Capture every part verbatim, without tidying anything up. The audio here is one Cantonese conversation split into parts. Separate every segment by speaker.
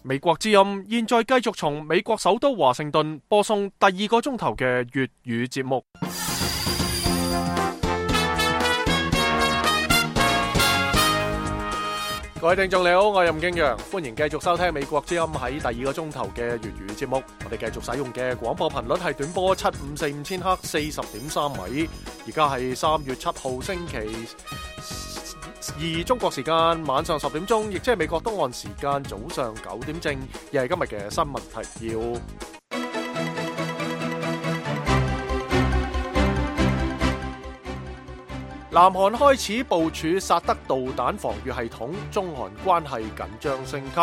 Speaker 1: 美國之音現在繼續從美國首都華盛頓播送第二個鐘頭嘅粵語節目。各位聽眾你好，我係任敬陽，歡迎繼續收聽美國之音喺第二個鐘頭嘅粵語節目。我哋繼續使用嘅廣播頻率係短波七五四五千赫四十點三米。而家係三月七號星期二中國時間晚上十點鐘，亦即係美國東岸時間早上九點正，亦係今日嘅新聞提要。南韓開始部署薩德導彈防禦系統，中韓關係緊張升級。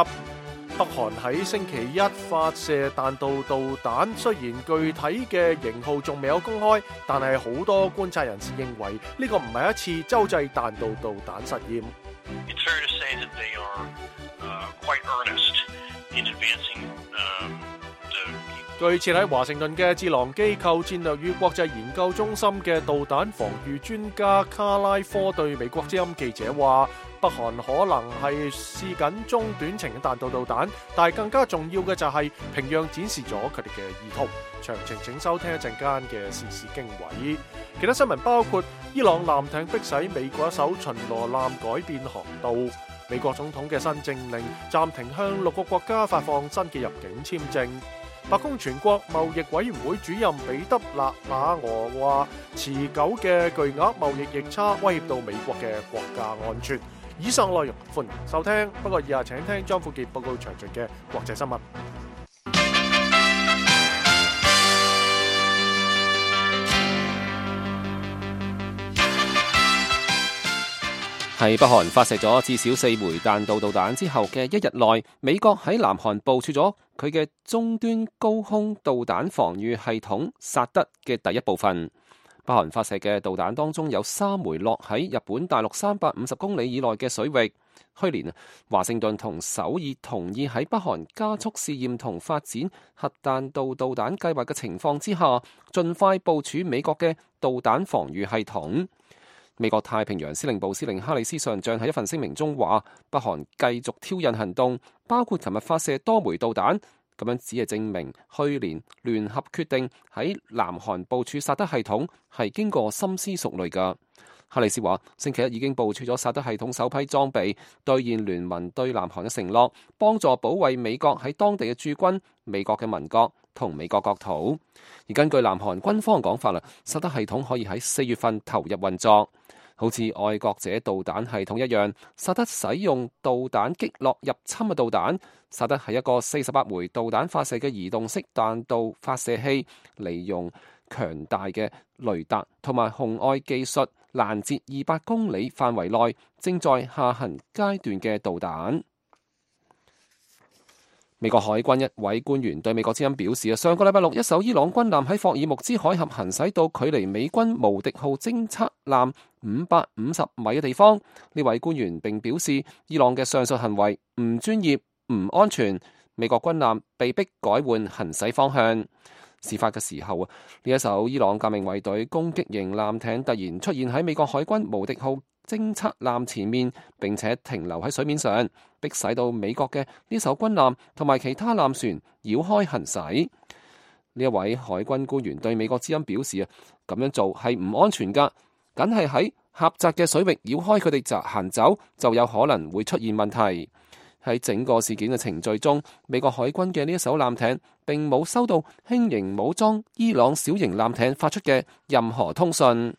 Speaker 1: 北韓喺星期一發射彈道導彈，雖然具體嘅型號仲未有公開，但係好多觀察人士認為呢個唔係一次洲際彈道導彈實驗。
Speaker 2: It's fair to say that they are, uh, quite earnest in advancing, um, the...
Speaker 1: 據設喺華盛頓嘅智囊機構戰略與國際研究中心嘅導彈防禦專家卡拉科對美國之音記者話，北韓可能係試緊中短程嘅彈道導彈，但係更加重要嘅就係平壤展示咗佢哋嘅意圖。詳情請收聽一陣間嘅時事經緯。其他新聞包括伊朗艦艇迫使美國一艘巡邏艦改變航道，美國總統嘅新政令暫停向六個國家發放新嘅入境簽證。白宮全國貿易委員會主任彼得勒馬俄話，持久嘅巨額貿易逆差威脅到美國嘅國家安全。以上內容歡迎收聽，不過以下請聽張富傑報告詳盡嘅國際新聞。
Speaker 3: 喺北韓發射咗至少四枚彈道導彈之後嘅一日內，美國喺南韓部署咗佢嘅中端高空導彈防禦系統薩德嘅第一部分。北韓發射嘅導彈當中有三枚落喺日本大陸三百五十公里以內嘅水域。去年，華盛頓同首爾同意喺北韓加速試驗同發展核彈道導彈計劃嘅情況之下，盡快部署美國嘅導彈防禦系統。美國太平洋司令部司令哈里斯上將喺一份聲明中話，北韓繼續挑釁行動，包括琴日發射多枚導彈，咁樣只係證明去年聯合決定喺南韓部署薩德系統係經過深思熟慮㗎。哈里斯話，星期一已經部署咗薩德系統首批裝備，兌現聯盟對南韓嘅承諾，幫助保衛美國喺當地嘅駐軍、美國嘅民國同美國國土。而根據南韓軍方講法啦，薩德系統可以喺四月份投入運作。好似愛國者導彈系統一樣，薩德使用導彈擊落入侵嘅導彈。薩德係一個四十八枚導彈發射嘅移動式彈道發射器，利用強大嘅雷達同埋紅外技術攔截二百公里範圍內正在下行階段嘅導彈。美國海軍一位官員對美國之音表示啊，上個禮拜六一艘伊朗軍艦喺霍爾木茲海峽行駛到距離美軍無敵號偵察艦五百五十米嘅地方。呢位官員並表示，伊朗嘅上述行為唔專業、唔安全，美國軍艦被迫改換行駛方向。事發嘅時候啊，呢一艘伊朗革命衛隊攻擊型艦艇突然出現喺美國海軍無敵號偵察艦前面，並且停留喺水面上，迫使到美國嘅呢艘軍艦同埋其他艦船繞開行駛。呢一位海軍官員對美國之音表示啊，咁樣做係唔安全噶，梗係喺狹窄嘅水域繞開佢哋就行走，就有可能會出現問題。喺整個事件嘅程序中，美國海軍嘅呢一艘艦艇並冇收到輕型武裝伊朗小型艦艇發出嘅任何通訊。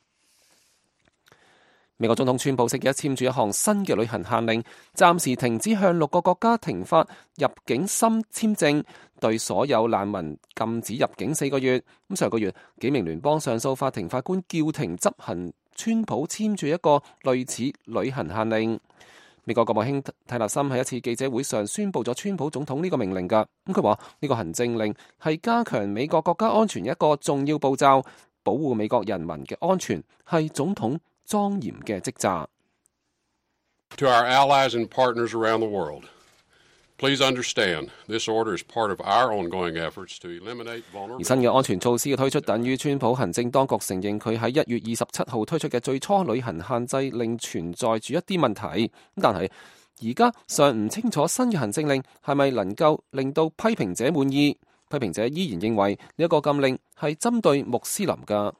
Speaker 3: 美國總統川普星期一簽署一項新嘅旅行限令，暫時停止向六個國家停發入境新簽證，對所有難民禁止入境四個月。咁上個月，幾名聯邦上訴法庭法官叫停執行川普簽署一個類似旅行限令。美國國務卿泰勒森喺一次記者會上宣布咗川普總統呢個命令㗎。咁佢話呢個行政令係加強美國國家安全一個重要步驟，保護美國人民嘅安全係總統莊嚴嘅職責。
Speaker 4: To our allies and partners around the world, please understand this order is part of our ongoing efforts to eliminate vulnerability. 而新嘅安全措施嘅推出，等於川普行政當局承認佢喺一月二十七號推出嘅最初旅行限制令存在住一啲問題。但係
Speaker 3: 而家尚唔清楚新嘅行政令係咪能夠令到批評者滿意。批評者依然認為呢一個禁令係針對穆斯林㗎。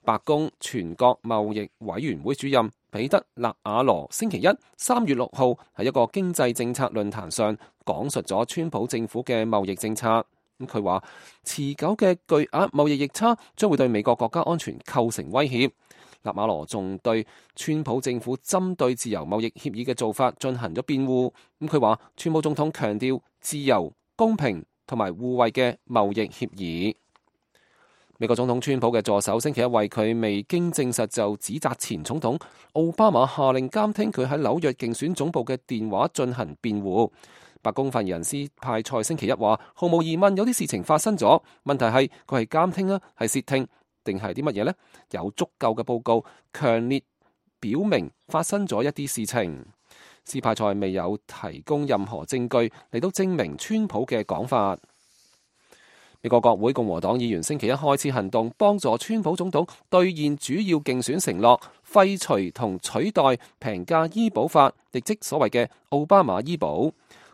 Speaker 3: 白宮全國貿易委員會主任彼得勒瓦羅星期一三月六號喺一個經濟政策論壇上講述咗川普政府嘅貿易政策。咁佢話持久嘅巨額貿易逆差將會對美國國家安全構成威脅。勒瓦羅仲對川普政府針對自由貿易協議嘅做法進行咗辯護。咁佢話川普總統強調自由、公平同埋互惠嘅貿易協議。美國總統川普嘅助手星期一為佢未經證實就指責前總統奧巴馬下令監聽佢喺紐約競選總部嘅電話進行辯護。白宮發言人斯派塞星期一話，毫無疑問有啲事情發生咗，問題係佢係監聽啊，係竊聽定係啲乜嘢呢？有足夠嘅報告強烈表明發生咗一啲事情。斯派塞未有提供任何證據嚟到證明川普嘅講法。美國國會共和黨議員星期一開始行動，幫助川普總統兌現主要競選承諾，廢除同取代平價醫保法，亦即所謂嘅奧巴馬醫保。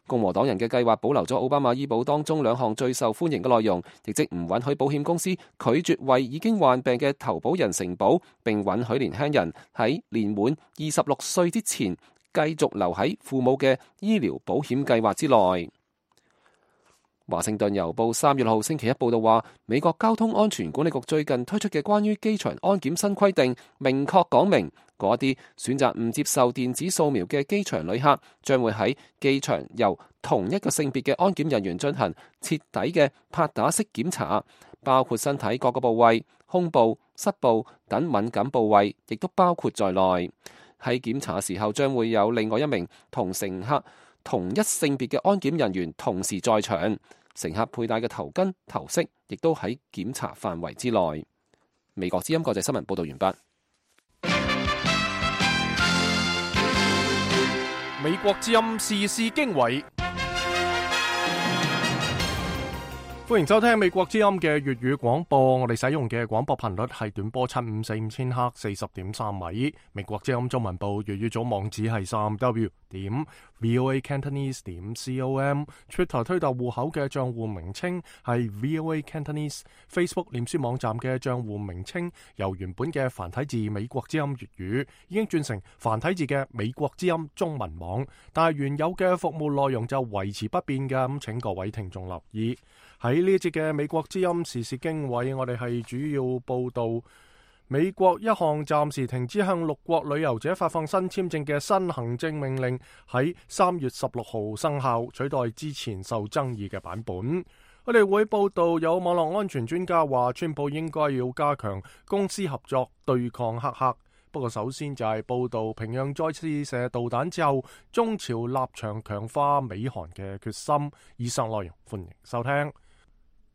Speaker 3: 共和黨人嘅計劃保留咗奧巴馬醫保當中兩項最受歡迎嘅內容，亦即唔允許保險公司拒絕為已經患病嘅投保人承保，並允許年輕人喺年滿二十六歲之前繼續留喺父母嘅醫療保險計劃之內。華盛頓郵報三月六號星期一報道話，美國交通安全管理局最近推出嘅關於機場安檢新規定，明確講明嗰啲選擇唔接受電子掃描嘅機場旅客，將會喺機場由同一個性別嘅安檢人員進行徹底嘅拍打式檢查，包括身體各個部位、胸部、膝部等敏感部位，亦都包括在內。喺檢查時候，將會有另外一名同乘客同一性別嘅安檢人員同時在場。乘客佩戴嘅頭巾、頭飾亦都喺檢查範圍之內。美國之音國際新聞報道完畢。
Speaker 1: 美國之音時事經緯，歡迎收聽美國之音嘅粵語廣播。我哋使用嘅廣播頻率係短波七五四五千赫四十點三米。美國之音中文部粵語組網址係三 w 點 voa cantonese 點 com。Twitter 推特戶口嘅賬戶名稱係 voa cantonese。Facebook 臉書網站嘅賬戶名稱由原本嘅繁體字美國之音粵語已經轉成繁體字嘅美國之音中文網，但係原有嘅服務內容就維持不變嘅，咁請各位聽眾留意。喺呢一節嘅美國之音時事經緯，我哋係主要報道美國一項暫時停止向六國旅遊者發放新簽證嘅新行政命令喺三月十六號生效，取代之前受爭議嘅版本。我哋會報道有網絡安全專家話，川普應該要加強公司合作對抗黑客。不過首先就係報道平壤再次射導彈之後，中朝立場強化美韓嘅決心。以上內容歡迎收聽。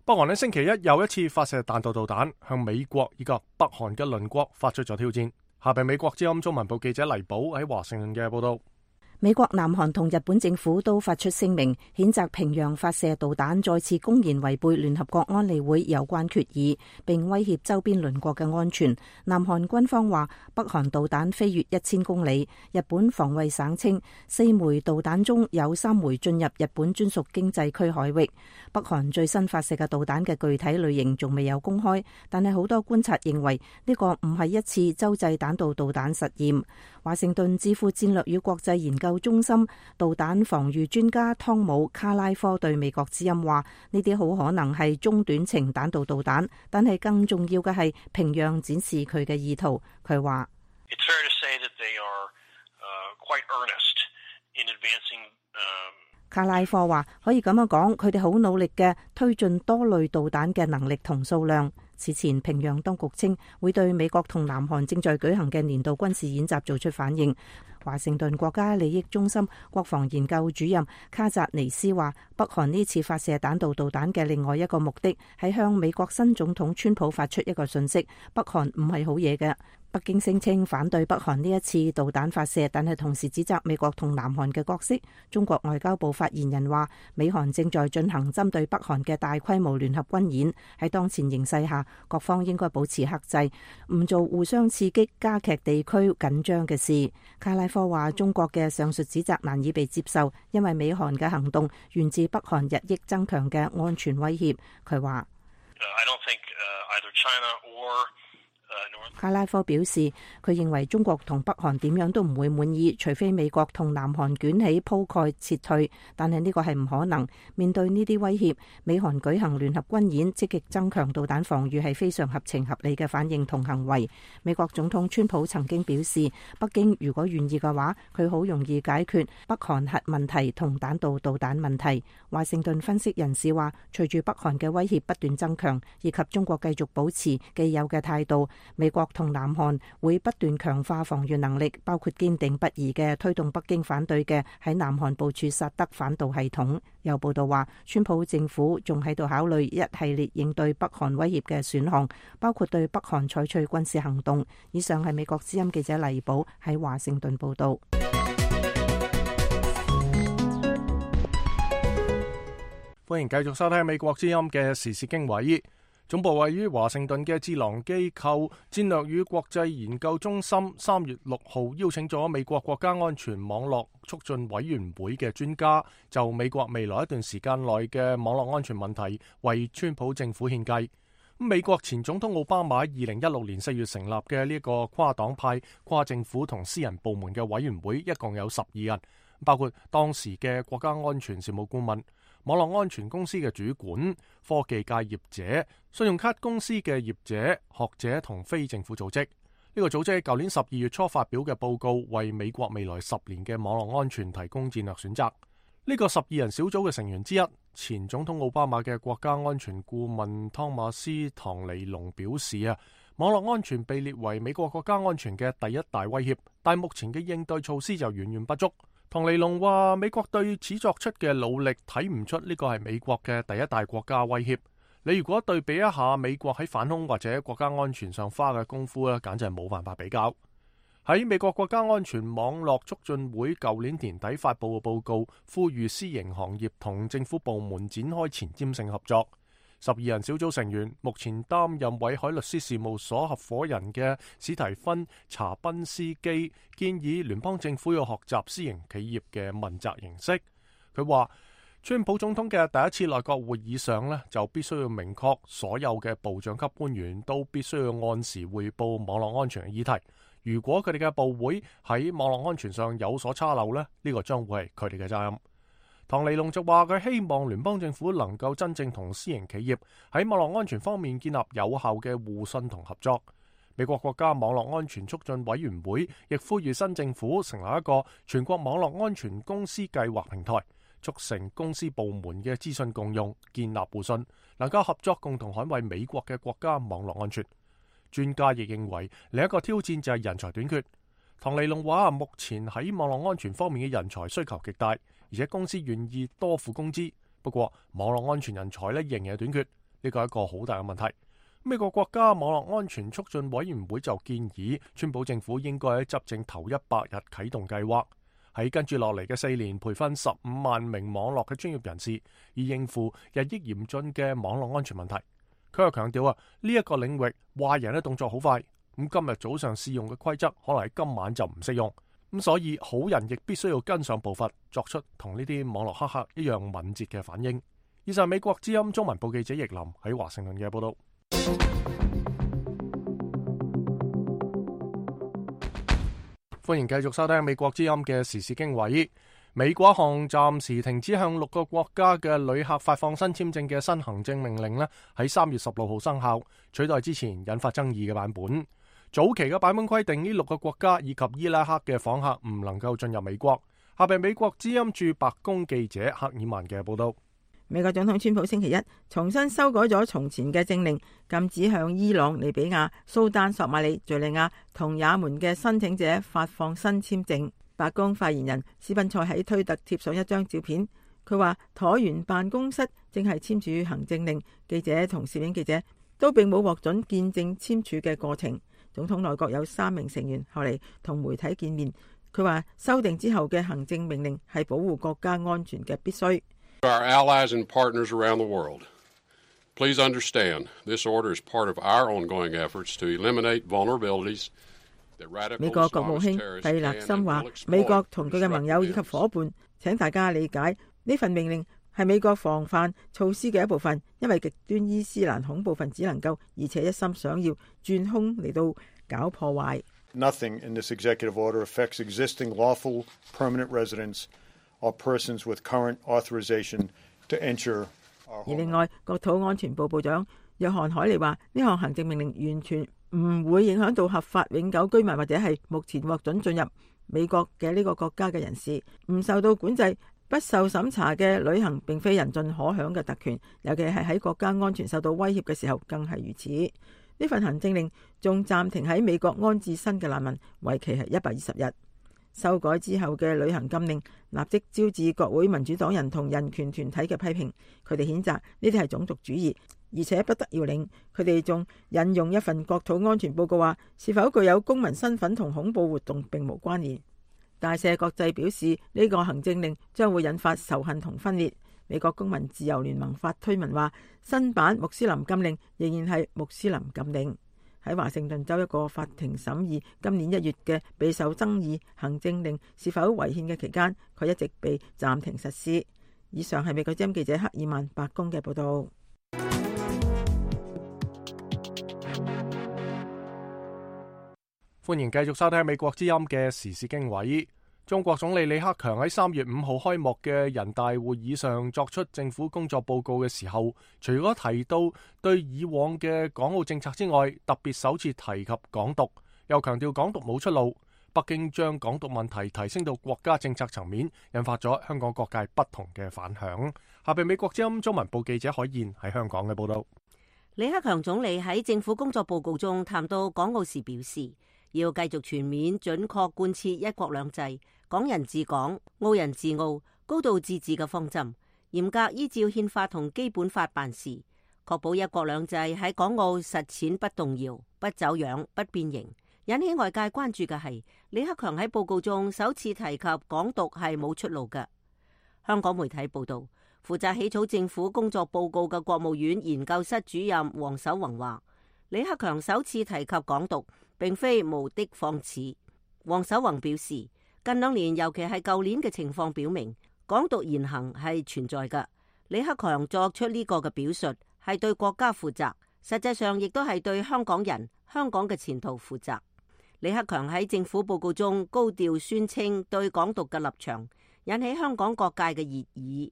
Speaker 1: 北韓喺星期一又一次發射彈道導彈，向美國以及北韓嘅鄰國發出咗挑戰。下邊美國之音中文部記者黎寶喺華盛頓嘅報道。
Speaker 5: 美國、南韓同日本政府都發出聲明，譴責平壤發射導彈，再次公然違背聯合國安理會有關決議，並威脅周邊鄰國嘅安全。南韓軍方話，北韓導彈飛越一千公里。日本防衛省稱，四枚導彈中有三枚進入日本專屬經濟區海域。北韓最新發射嘅導彈嘅具體類型仲未有公開，但係好多觀察認為呢個唔係一次洲際彈道導彈實驗。華盛頓智庫戰略與國際研究中心導彈防禦專家湯姆卡拉科對美國之音話：呢啲好可能係中短程彈道導彈，但係更重要嘅係平壤展示佢嘅意圖。佢話：卡拉科話可以咁樣講，佢哋好努力嘅推進多類導彈嘅能力同數量。此前平壤當局稱會對美國同南韓正在舉行嘅年度軍事演習做出反應。華盛頓國家利益中心國防研究主任卡扎尼斯話，北韓呢次發射彈道導彈嘅另外一個目的係向美國新總統川普發出一個訊息：北韓唔係好嘢嘅。北京聲稱反對北韓呢一次導彈發射，但係同時指責美國同南韓嘅角色。中國外交部發言人話，美韓正在進行針對北韓嘅大規模聯合軍演，喺當前形勢下，各方應該保持克制，唔做互相刺激、加劇地區緊張嘅事。卡拉科話，中國嘅上述指責難以被接受，因為美韓嘅行動源自北韓日益增強嘅安全威脅。佢話，卡拉科表示，佢認為中國同北韓點樣都唔會滿意，除非美國同南韓捲起鋪蓋撤退，但係呢個係唔可能。面對呢啲威脅，美韓舉行聯合軍演，積極增強導彈防禦係非常合情合理嘅反應同行為。美國總統川普曾經表示，北京如果願意嘅話，佢好容易解決北韓核問題同彈道導彈問題。華盛頓分析人士話，隨住北韓嘅威脅不斷增強，以及中國繼續保持既有嘅態度，美國同南韓會不斷強化防禦能力，包括堅定不移嘅推動北京反對嘅喺南韓部署薩德反導系統。有報道話，川普政府仲喺度考慮一系列應對北韓威脅嘅選項，包括對北韓採取軍事行動。以上係美國之音記者黎寶喺華盛頓報道。
Speaker 1: 歡迎繼續收聽美國之音嘅時事經緯。總部位於華盛頓嘅智囊機構戰略與國際研究中心三月六號邀請咗美國國家安全網絡促進委員會嘅專家，就美國未來一段時間內嘅網絡安全問題為川普政府獻計。美國前總統奧巴馬二零一六年四月成立嘅呢一個跨黨派、跨政府同私人部門嘅委員會，一共有十二人，包括當時嘅國家安全事務顧問、網絡安全公司嘅主管、科技界業者、信用卡公司嘅業者、學者同非政府組織。呢個組織舊年十二月初發表嘅報告，為美國未來十年嘅網絡安全提供戰略選擇。呢個十二人小組嘅成員之一，前總統奧巴馬嘅國家安全顧問湯馬斯·唐尼龍表示啊，網絡安全被列為美國國家安全嘅第一大威脅，但目前嘅應對措施就遠遠不足。唐尼龍話，美國對此作出嘅努力睇唔出呢個係美國嘅第一大國家威脅。你如果對比一下美國喺反恐或者國家安全上花嘅功夫咧，簡直係冇辦法比較。喺美國國家安全網絡促進會舊年年底發布嘅報告，呼籲私營行業同政府部門展開前瞻性合作。十二人小組成員目前擔任偉海律師事務所合夥人嘅史提芬·查賓斯基建議聯邦政府要學習私營企業嘅問責形式。佢話，川普總統嘅第一次內閣會議上呢，就必須要明確所有嘅部長級官員都必須要按時匯報網絡安全嘅議題。如果佢哋嘅部會喺網絡安全上有所差漏呢，呢個將會係佢哋嘅責任。唐尼龍就話，佢希望聯邦政府能夠真正同私營企業喺網絡安全方面建立有效嘅互信同合作。美國國家網絡安全促進委員會亦呼籲新政府成立一個全國網絡安全公司計劃平台，促成公司部門嘅資訊共用，建立互信，能夠合作共同捍衛美國嘅國家網絡安全。專家亦認為另一個挑戰就係人才短缺。唐尼龍話，目前喺網絡安全方面嘅人才需求極大，而且公司願意多付工資。不過網絡安全人才咧仍然係短缺，呢個係一個好大嘅問題。美國國家網絡安全促進委員會就建議，川普政府應該喺執政頭一百日啟動計劃，喺跟住落嚟嘅四年培訓十五萬名網絡嘅專業人士，以應付日益嚴峻嘅網絡安全問題。佢又強調啊，呢一個領域壞人嘅動作好快。咁今日早上試用嘅規則可能喺今晚就唔適用，咁所以好人亦必須要跟上步伐，作出同呢啲網絡黑客一樣敏捷嘅反應。以上美國之音中文部記者易林喺華盛頓嘅報道。歡迎繼續收聽美國之音嘅時事經緯。美國一項暫時停止向六個國家嘅旅客發放新簽證嘅新行政命令呢，喺三月十六號生效，取代之前引發爭議嘅版本。早期嘅版本規定呢六個國家以及伊拉克嘅訪客唔能夠進入美國。下邊美國之音駐白宮記者克爾曼嘅報道。
Speaker 6: 美國總統川普星期一重新修改咗從前嘅政令，禁止向伊朗、利比亞、蘇丹、索馬里、敘利亞同也門嘅申請者發放新簽證。白宮發言人史賓塞喺推特貼上一張照片，佢話橢圓辦公室正係簽署行政令，記者同攝影記者都並冇獲准見證簽署嘅過程。總統內閣有三名成員後嚟同媒體見面，佢話修訂之後嘅行政命令係保護國家安全嘅必須。
Speaker 4: Our allies and partners around the world, please understand this order is part of our ongoing efforts to eliminate vulnerabilities that radical
Speaker 6: 美國國務卿
Speaker 4: Islamist
Speaker 6: 蒂
Speaker 4: terrorists
Speaker 6: 勒
Speaker 4: can
Speaker 6: 森
Speaker 4: and
Speaker 6: 話
Speaker 4: will exploit
Speaker 6: 美國同佢嘅盟友以及
Speaker 4: disruptive
Speaker 6: 伙伴，請大家理解呢份命令係美國防範措施嘅一部分，因為極端伊斯蘭恐怖分子能夠而且一心想要轉空嚟到搞破壞。
Speaker 7: Nothing in this executive order affects existing lawful permanent residents or persons with current authorization to enter our
Speaker 6: 而另外，國土安全部部長約翰海利話：呢項行政命令完全唔會影響到合法永久居民或者係目前獲准進入美國嘅呢個國家嘅人士，唔受到管制、不受審查嘅旅行並非人盡可享嘅特權，尤其係喺國家安全受到威脅嘅時候更係如此。呢份行政令仲暫停喺美國安置新嘅難民，為期係一百二十日。修改之後嘅旅行禁令立即招致國會民主黨人同人權團體嘅批評，佢哋譴責呢啲係種族主義，而且不得要領。佢哋仲引用一份國土安全報告話，是否具有公民身份同恐怖活動並無關聯。大赦國際表示呢個行政令將會引發仇恨同分裂。美國公民自由聯盟發推文話，新版穆斯林禁令仍然係穆斯林禁令。喺華盛頓州一個法庭審議今年一月嘅備受爭議行政令是否違憲嘅期間，佢一直被暫停實施。以上係美國之音記者克爾曼白宮嘅報道。
Speaker 1: 歡迎繼續收聽美國之音嘅時事經緯。中國總理李克強喺三月五號開幕嘅人大會議上作出政府工作報告嘅時候，除咗提到對以往嘅港澳政策之外，特別首次提及港獨，又強調港獨冇出路。北京將港獨問題提升到國家政策層面，引發咗香港各界不同嘅反響。下邊美國之音中文部記者海燕喺香港嘅報道。
Speaker 8: 李克強總理喺政府工作報告中談到港澳時表示，要繼續全面準確貫徹一國兩制、港人治港、澳人治澳、高度自治嘅方針，嚴格依照憲法同基本法辦事，確保一國兩制喺港澳實踐不動搖、不走樣、不變形。引起外界關注嘅係李克強喺報告中首次提及港獨係冇出路嘅。香港媒體報道，負責起草政府工作報告嘅國務院研究室主任黃守宏話，李克強首次提及港獨並非無的放矢。黃守宏表示，近兩年尤其係舊年嘅情況表明，港獨言行係存在嘅。李克強作出呢個嘅表述係對國家負責，實際上亦都係對香港人、香港嘅前途負責。李克強喺政府報告中高調宣稱對港獨嘅立場，引起香港各界嘅熱議。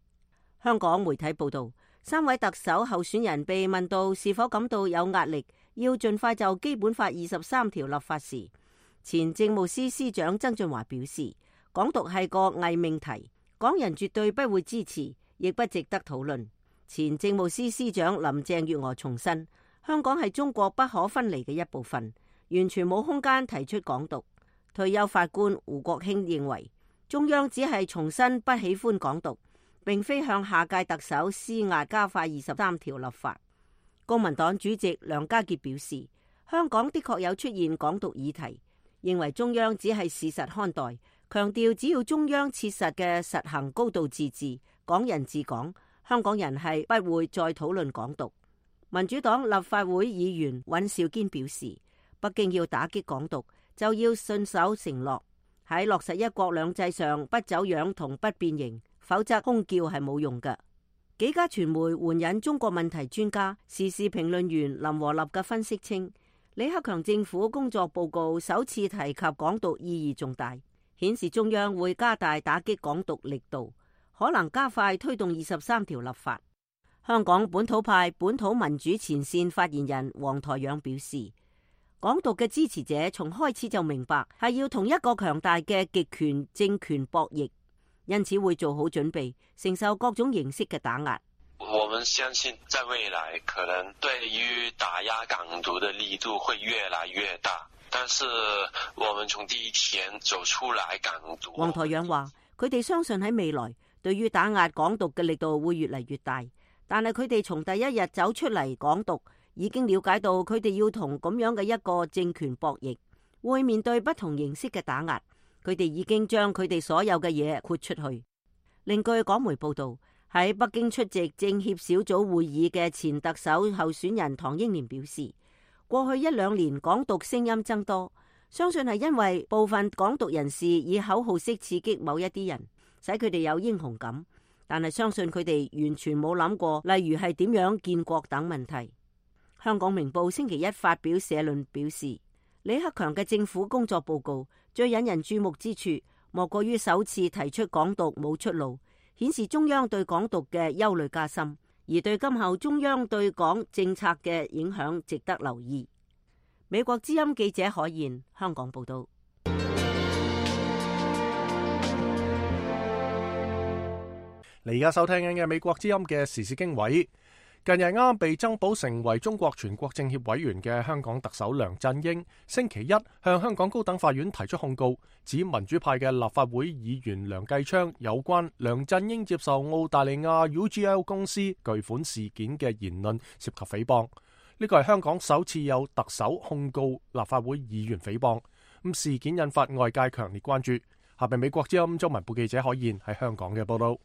Speaker 8: 香港媒體報道，三位特首候選人被問到是否感到有壓力，要盡快就基本法二十三條立法時，前政務司司長曾俊華表示，港獨係個偽命題，港人絕對不會支持，亦不值得討論。前政務司司長林鄭月娥重申，香港係中國不可分離嘅一部分，完全冇空間提出港獨。退休法官胡國興認為，中央只係重申不喜歡港獨，並非向下屆特首施壓加快二十三條立法。公民黨主席梁家傑表示，香港的確有出現港獨議題，認為中央只係事實看待，強調只要中央切實嘅實行高度自治、港人治港，香港人係不會再討論港獨。民主黨立法會議員尹兆堅表示，北京要打擊港獨，就要信守承諾，喺落實一國兩制上不走樣同不變形，否則空叫係冇用嘅。幾家傳媒援引中國問題專家、時事評論員林和立嘅分析稱，李克強政府工作報告首次提及港獨意義重大，顯示中央會加大打擊港獨力度，可能加快推動二十三條立法。香港本土派本土民主前線發言人黃台仰表示，港獨嘅支持者從開始就明白係要同一個強大嘅極權政權博弈，因此會做好準備，承受各種形式嘅打壓。
Speaker 9: 我們相信在未來可能對於打壓港獨的力度會越來越大，但是我們從第一天走出來港獨。
Speaker 8: 黃台仰話，佢哋相信喺未來對於打壓港獨嘅力度會越嚟越大，但係佢哋從第一日走出嚟港獨，已經了解到佢哋要同咁樣嘅一個政權博弈，會面對不同形式嘅打壓。佢哋已經將佢哋所有嘅嘢豁出去。另據港媒報道，喺北京出席政協小組會議嘅前特首候選人唐英年表示，過去一兩年港獨聲音增多，相信係因為部分港獨人士以口號式刺激某一啲人，使佢哋有英雄感。但係相信佢哋完全冇諗過，例如係點樣建國等問題。香港明報星期一發表社論表示，李克強嘅政府工作報告最引人注目之處，莫過於首次提出港獨冇出路，顯示中央對港獨嘅憂慮加深，而對今後中央對港政策嘅影響值得留意。美國之音記者海燕香港報道。
Speaker 1: 你而家收聽緊嘅美國之音嘅時事經緯。近日啱被增補成為中國全國政協委員嘅香港特首梁振英，星期一向香港高等法院提出控告，指民主派嘅立法會議員梁繼昌有關梁振英接受澳大利亞 U G L 公司巨款事件嘅言論涉及誹謗。呢個係香港首次有特首控告立法會議員誹謗，咁事件引發外界強烈關注。下邊美國之音中文部記者海燕喺香港嘅報道。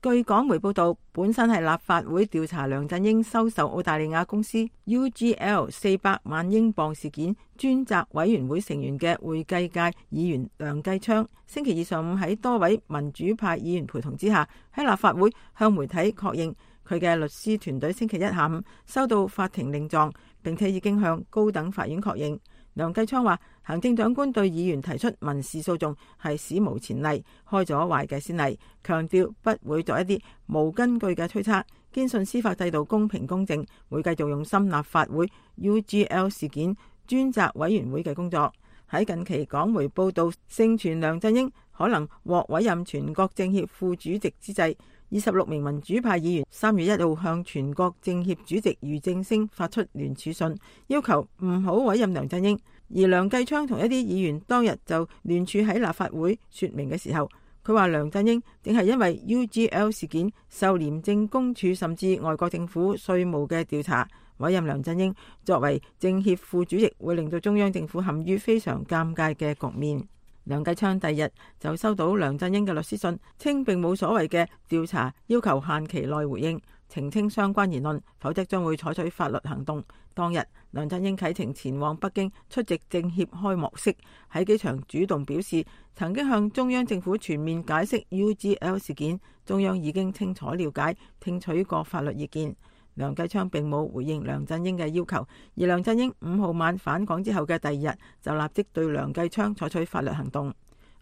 Speaker 6: 據港媒報道，本身係立法會調查梁振英收受澳大利亞公司 U G L 四百萬英鎊事件專責委員會成員嘅會計界議員梁繼昌，星期二上午喺多位民主派議員陪同之下，喺立法會向媒體確認佢嘅律師團隊星期一下午收到法庭令狀，並且已經向高等法院確認。梁繼昌話，行政長官對議員提出民事訴訟係史無前例，開咗壞嘅先例，強調不會作一啲無根據嘅推測，堅信司法制度公平公正，會繼續用心立法會 U G L 事件專責委員會嘅工作。喺近期港媒報道盛傳梁振英可能獲委任全國政協副主席之際，二十六名民主派議員三月一號向全國政協主席俞正聲發出聯署信，要求唔好委任梁振英。而梁繼昌同一啲議員當日就聯署喺立法會說明嘅時候，佢話梁振英正係因為 U G L 事件受廉政公署甚至外國政府稅務嘅調查，委任梁振英作為政協副主席會令到中央政府陷於非常尷尬嘅局面。梁繼昌第日就收到梁振英嘅律師信，稱並冇所謂嘅調查要求限期內回應，澄清相關言論，否則將會採取法律行動。當日梁振英啟程前往北京出席政協開幕式，喺機場主動表示曾經向中央政府全面解釋 U G L 事件，中央已經清楚了解，聽取過法律意見。梁繼昌並冇回應梁振英嘅要求，而梁振英五號晚返港之後嘅第二日就立即對梁繼昌採取法律行動。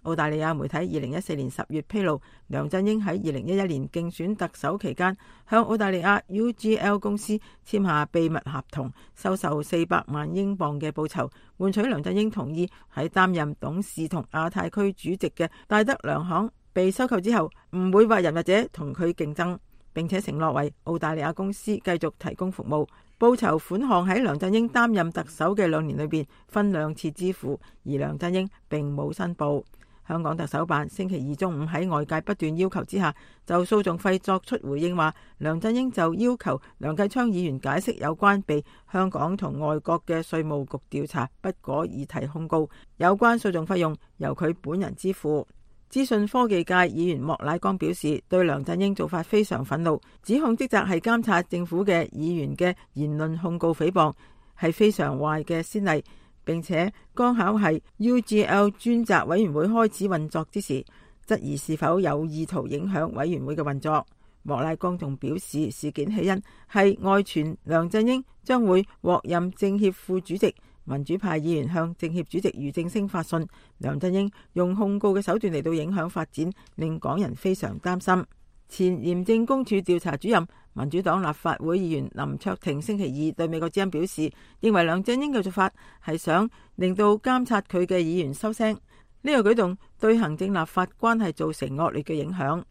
Speaker 6: 澳大利亞媒體二零一四年十月披露，梁振英喺二零一一年競選特首期間向澳大利亞 U G L 公司簽下秘密合同，收受四百萬英鎊嘅報酬，換取梁振英同意喺擔任董事同亞太區主席嘅戴德梁行被收購之後，唔會為人或者同佢競爭，並且承諾為澳大利亞公司繼續提供服務。報酬款項喺梁振英擔任特首嘅兩年裏邊分兩次支付，而梁振英並冇申報。香港特首辦星期二中午喺外界不斷要求之下，就訴訟費作出回應，話梁振英就要求梁繼昌議員解釋有關被香港同外國嘅稅務局調查不果議題控告，有關訴訟費用由佢本人支付。資訊科技界議員莫乃光表示，對梁振英做法非常憤怒，指控職責係監察政府嘅議員嘅言論控告誹謗係非常壞嘅先例，並且剛巧係 U G L 專責委員會開始運作之時，質疑是否有意圖影響委員會嘅運作。莫乃光仲表示，事件起因係外傳梁振英將會獲任政協副主席，民主派議員向政協主席俞正聲發信，梁振英用控告嘅手段嚟到影響發展，令港人非常擔心。前廉政公署調查主任民主黨立法會議員林卓廷星期二對美國之音表示，認為梁振英嘅做法係想令到監察佢嘅議員收聲，呢個舉動對行政立法關係造成惡劣嘅影響。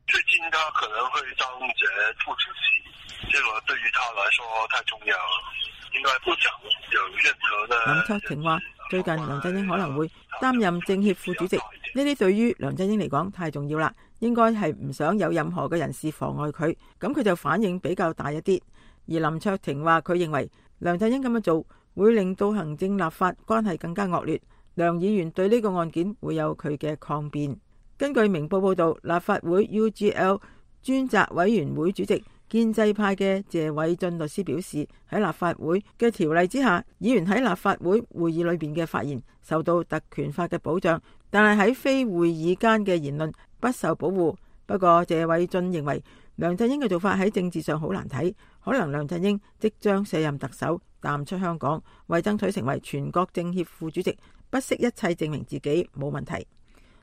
Speaker 9: 最近他可能會當選副主席，這個對於他來說太重要了，應該不想有任何的。
Speaker 6: 林卓廷話，最近梁振英可能會擔任政協副主席，呢啲對於梁振英嚟講太重要啦，應該係唔想有任何嘅人士妨礙佢，咁佢就反應比較大一啲。而林卓廷話，佢認為梁振英咁樣做會令到行政立法關係更加惡劣。梁議員對呢個案件會有佢嘅抗辯。根據明報報道，立法會 U G L 專責委員會主席建制派嘅謝偉俊律師表示，喺立法會嘅條例之下，議員喺立法會會議裏邊嘅發言受到特權法嘅保障，但係喺非會議間嘅言論不受保護。不過謝偉俊認為梁振英嘅做法喺政治上好難睇，可能梁振英即將卸任特首，淡出香港，為爭取成為全國政協副主席，不惜一切證明自己冇問題。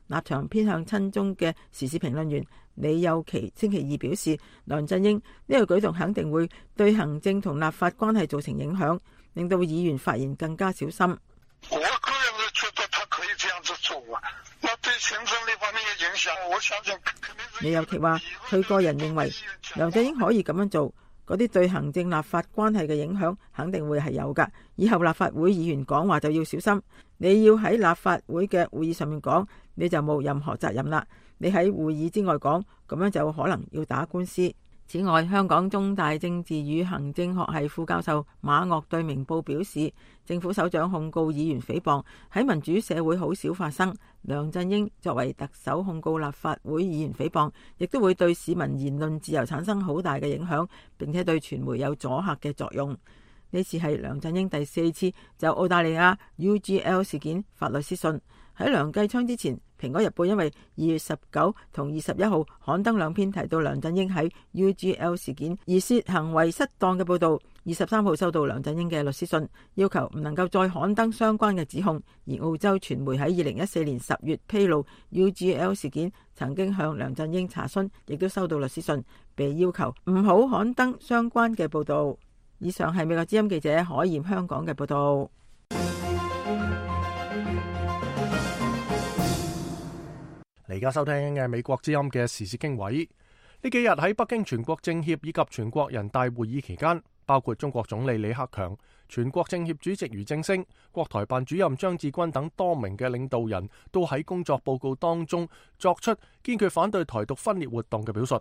Speaker 6: 立場偏向親中嘅時事評論員李幼琪星期二表示，梁振英呢個舉動肯定會對行政同立法關係造成影響，令到議員發言更加小心。
Speaker 10: 我個人是覺得他可以這樣子做啊，那對行政呢方面嘅影響，我相信肯定是。
Speaker 6: 李幼琪話，佢個人認為梁振英可以咁樣做，嗰啲對行政立法關係嘅影響肯定會係有㗎。以後立法會議員講話就要小心，你要喺立法會嘅會議上面講，你就冇任何責任啦。你喺會議之外講，咁樣就可能要打官司。此外，香港中大政治與行政學系副教授馬岳對明報表示，政府首長控告議員誹謗喺民主社會好少發生。梁振英作為特首控告立法會議員誹謗，亦都會對市民言論自由產生好大嘅影響，並且對傳媒有阻嚇嘅作用。呢次係梁振英第四次就澳大利亞 U G L 事件發律師信。喺梁繼昌之前，蘋果日報因為二月十九同二十一號刊登兩篇提到梁振英喺 U G L 事件而涉行為失當嘅報道，二十三號收到梁振英嘅律師信，要求唔能夠再刊登相關嘅指控。而澳洲傳媒喺二零一四年十月披露 U G L 事件，曾經向梁振英查詢，亦都收到律師信，被要求唔好刊登相關嘅報道。以上係美國之音記者海鹽香港嘅報道。
Speaker 1: 而家收聽嘅美國之音嘅時事經緯，呢幾日喺北京全國政協以及全國人大會議期間，包括中國總理李克強、全國政協主席俞正聲、國台辦主任張志軍等多名嘅領導人都喺工作報告當中作出堅決反對台獨分裂活動嘅表述。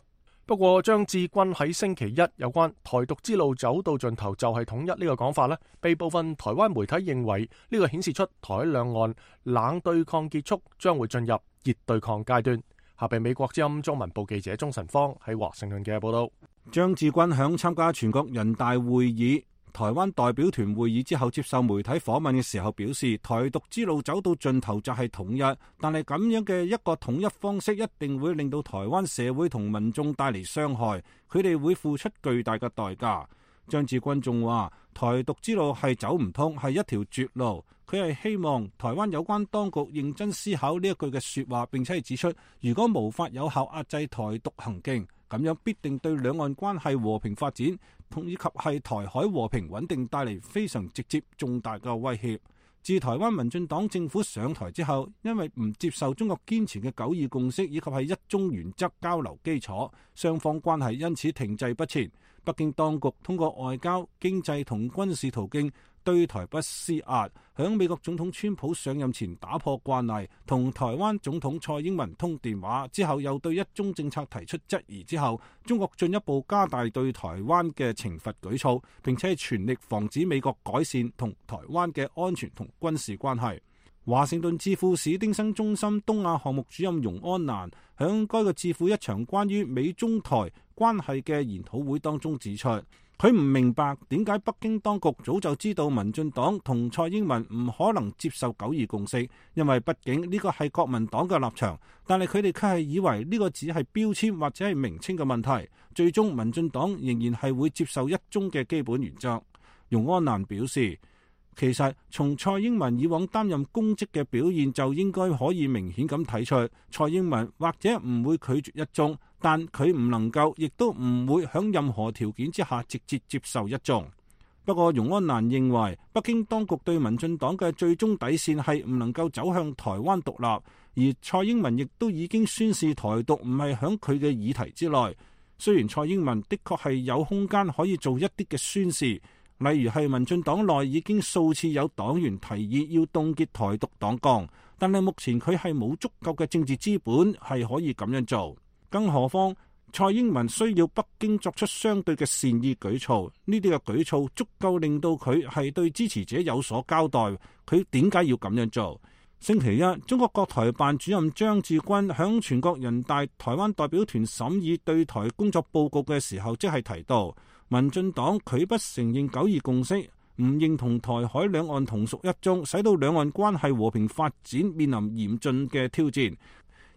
Speaker 1: 不過張志軍喺星期一有關台獨之路走到盡頭就係統一呢個講法呢，被部分台灣媒體認為呢個顯示出台兩岸冷對抗結束，將會進入熱對抗階段。下邊美國之音中文部記者鍾晨芳喺華盛頓嘅報道。
Speaker 11: 張志軍響參加全國人大會議台灣代表團會議之後，接受媒體訪問嘅時候表示，台獨之路走到盡頭就係統一，但係咁樣嘅一個統一方式一定會令到台灣社會同民眾帶嚟傷害，佢哋會付出巨大嘅代價。張志軍仲話，台獨之路係走唔通，係一條絕路。佢係希望台灣有關當局認真思考呢一句嘅說話，並且係指出，如果無法有效壓制台獨行徑，咁樣必定對兩岸關係和平發展同以及係台海和平穩定帶嚟非常直接重大嘅威脅。自台灣民進黨政府上台之後，因為唔接受中國堅持嘅九二共識以及係一中原則交流基礎，雙方關係因此停滯不前。北京當局通過外交、經濟同軍事途徑對台不施壓，響美國總統川普上任前打破慣例，同台灣總統蔡英文通電話之後，又對一中政策提出質疑之後，中國進一步加大對台灣嘅懲罰舉措，並且全力防止美國改善同台灣嘅安全同軍事關係。華盛頓智庫史丁生中心東亞項目主任容安蘭響該個智庫一場關於美中台關係嘅研討會當中指出，佢唔明白點解北京當局早就知道民進黨同蔡英文唔可能接受九二共識，因為畢竟呢個係國民黨嘅立場，但係佢哋卻係以為呢個只係標籤或者係名稱嘅問題，最終民進黨仍然係會接受一中嘅基本原則。容安蘭表示，其實從蔡英文以往擔任公職嘅表現就應該可以明顯咁睇出，蔡英文或者唔會拒絕一中，但佢唔能夠，亦都唔會響任何條件之下直接接受一中。不過容安蘭認為，北京當局對民進黨嘅最終底線係唔能夠走向台灣獨立，而蔡英文亦都已經宣示台獨唔係響佢嘅議題之內。雖然蔡英文的確係有空間可以做一啲嘅宣示，例如係民進黨內已經數次有黨員提議要凍結台獨黨綱，但係目前佢係冇足夠嘅政治資本係可以咁樣做。更何況蔡英文需要北京作出相對嘅善意舉措，呢啲嘅舉措足夠令到佢係對支持者有所交代。佢點解要咁樣做？星期一，中國國台辦主任張志軍響全國人大台灣代表團審議對台工作報告嘅時候，即係提到民進黨拒不承認九二共識，唔認同台海兩岸同屬一中，使到兩岸關係和平發展面臨嚴峻嘅挑戰。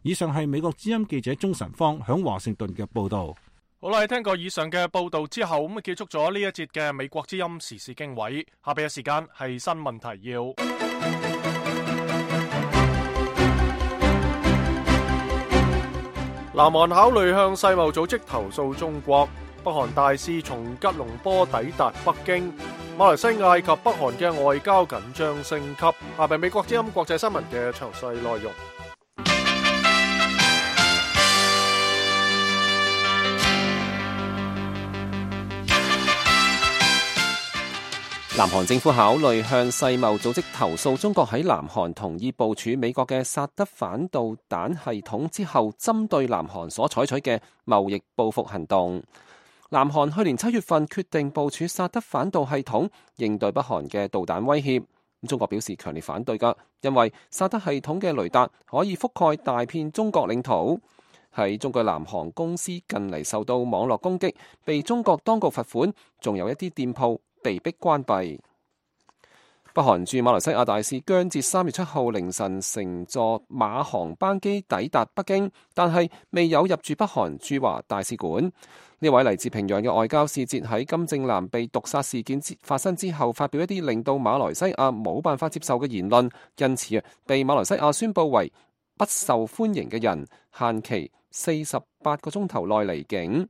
Speaker 11: 以上係美國之音記者鍾晨芳響華盛頓嘅報道。
Speaker 1: 好啦，聽過以上嘅報道之後，咁結束咗呢一節嘅美國之音時事經緯。下邊嘅時間係新聞提要。南韓考慮向世貿組織投訴中國。北韓大使從吉隆坡抵達北京。馬來西亞及北韓嘅外交緊張升級。下邊美國之音國際新聞嘅詳細內容。
Speaker 3: 南韓政府考慮向世貿組織投訴中國喺南韓同意部署美國嘅薩德反導彈系統之後，針對南韓所採取嘅貿易報復行動。南韓去年七月份決定部署薩德反導系統，應對北韓嘅導彈威脅。中國表示強烈反對㗎，因為薩德系統嘅雷達可以覆蓋大片中國領土。喺中國南韓公司近嚟受到網絡攻擊，被中國當局罰款，仲有一啲店鋪被迫關閉。北韓駐馬來西亞大使姜捷三月七號凌晨乘坐馬航班機抵達北京，但係未有入住北韓駐華大使館。呢位嚟自平壤嘅外交使節喺金正男被毒殺事件發生之後，發表一啲令到馬來西亞冇辦法接受嘅言論，因此啊，被馬來西亞宣布為不受歡迎嘅人，限期四十八個鐘頭內離境。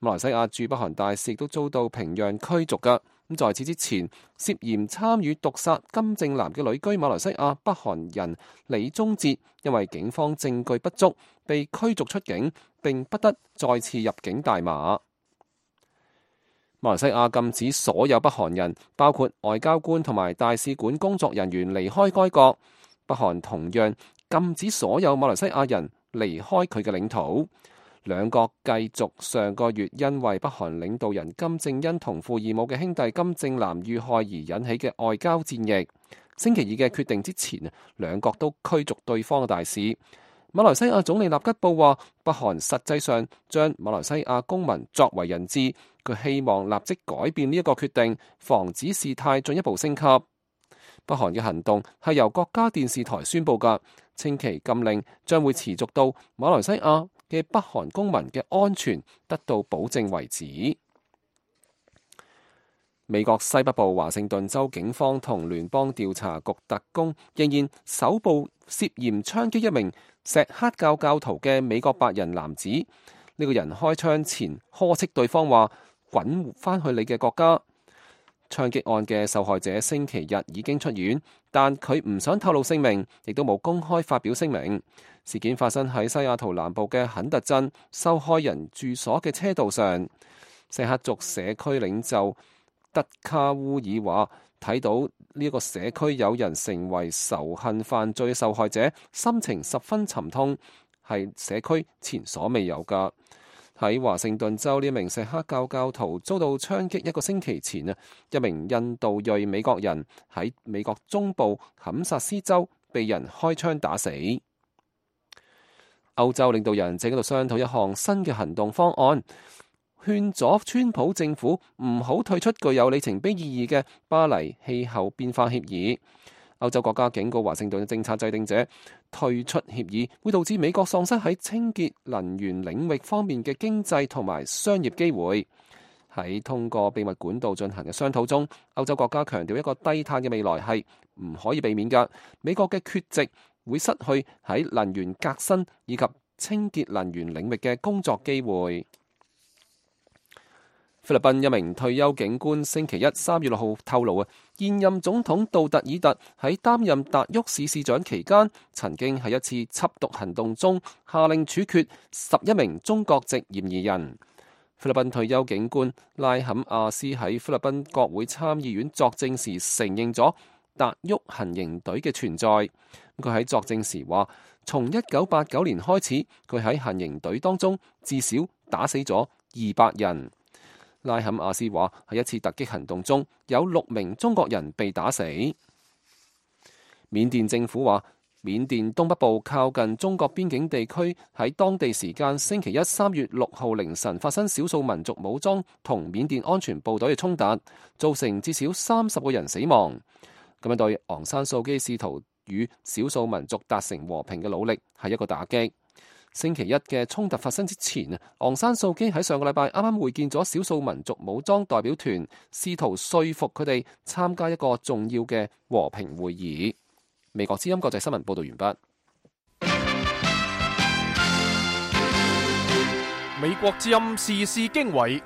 Speaker 3: 馬來西亞駐北韓大使亦都遭到平壤驅逐㗎。咁在此之前，涉嫌參與毒殺金正男嘅旅居馬來西亞北韓人李宗哲，因為警方證據不足，被驅逐出境，並不得再次入境大馬。馬來西亞禁止所有北韓人，包括外交官同埋大使館工作人員離開該國。北韓同樣禁止所有馬來西亞人離開佢嘅領土。兩國繼續上個月因為北韓領導人金正恩同父異母嘅兄弟金正男遇害而引起嘅外交戰役。星期二嘅決定之前，兩國都驅逐對方嘅大使。馬來西亞總理納吉布話，北韓實際上將馬來西亞公民作為人質，佢希望立即改變呢一個決定，防止事態進一步升級。北韓嘅行動係由國家電視台宣布嘅，稱其禁令將會持續到馬來西亞嘅北韓公民嘅安全得到保證為止。美國西北部華盛頓州警方同聯邦調查局特工仍然搜捕涉嫌槍擊一名錫克教教徒嘅美國白人男子。呢、這個人開槍前呵斥對方話：滾返去你嘅國家。槍擊案嘅受害者星期日已經出院，但佢唔想透露姓名，亦都冇公開發表聲明。事件發生喺西雅圖南部嘅肯特鎮受害人住所嘅車道上。錫克族社區領袖德卡烏爾話：睇到呢一個社區有人成為仇恨犯罪受害者，心情十分沉痛，係社區前所未有㗎。喺華盛頓州，呢名錫克教教徒遭到槍擊一個星期前啊，一名印度裔美國人喺美國中部堪薩斯州被人開槍打死。歐洲領導人正喺度商討一項新嘅行動方案，勸阻川普政府唔好退出具有里程碑意義嘅巴黎氣候變化協議。歐洲國家警告華盛頓嘅政策制定者，退出協議會導致美國喪失喺清潔能源領域方面嘅經濟同埋商業機會。喺通過秘密管道進行嘅商討中，歐洲國家強調一個低碳嘅未來係唔可以避免㗎。美國嘅缺席會失去喺能源革新以及清潔能源領域嘅工作機會。菲律賓一名退休警官星期一三月六號透露啊，現任總統杜特爾特喺擔任達沃市市長期間，曾經喺一次緝毒行動中下令處決十一名中國籍嫌疑人。菲律賓退休警官拉坎亞斯喺菲律賓國會參議院作證時承認咗達沃行刑隊嘅存在。佢喺作證時話，從一九八九年開始，佢喺行刑隊當中至少打死咗二百人。拉坎亞斯話喺一次突擊行動中有六名中國人被打死。緬甸政府話，緬甸東北部靠近中國邊境地區喺當地時間星期一三月六號凌晨發生少數民族武裝同緬甸安全部隊嘅衝突，造成至少三十個人死亡。咁樣對昂山素基試圖與少數民族達成和平嘅努力係一個打擊。星期一嘅衝突發生之前，昂山素基喺上個禮拜啱啱會見咗少數民族武裝代表團，試圖說服佢哋參加一個重要嘅和平會議。美國之音國際新聞報道完畢。
Speaker 1: 美國之音時事經緯。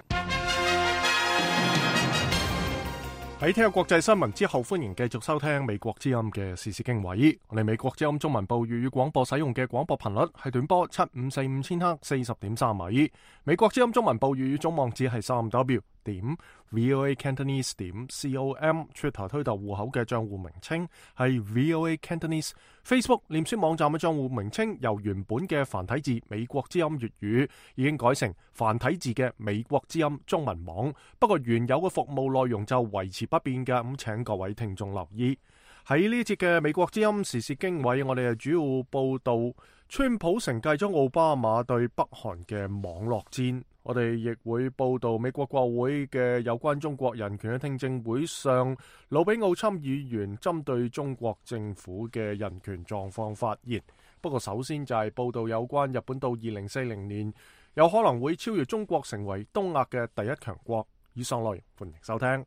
Speaker 1: 喺聽日國際新聞之後，歡迎繼續收聽美國之音嘅時事經緯。我哋美國之音中文部粵語廣播使用嘅廣播頻率係短波七五四五千赫四十點三米。美國之音中文部粵語總網址係三 W 點 V O A Cantonese 點 com。Twitter 推特戶口嘅賬戶名稱係 V O A Cantonese。Facebook 臉書網站嘅賬戶名稱由原本嘅繁體字美國之音粵語已經改成繁體字嘅美國之音中文網，不過原有嘅服務內容就維持不變嘅，咁請各位聽眾留意。喺呢節嘅美國之音時事經緯，我哋係主要報道川普承繼咗奧巴馬對北韓嘅網絡戰。我哋亦會報道美國國會嘅有關中國人權嘅聽證會上，魯比奧參議員針對中國政府嘅人權狀況發言。不過首先就係報道有關日本到二零四零年有可能會超越中國成為東亞嘅第一強國。以上內容歡迎收聽。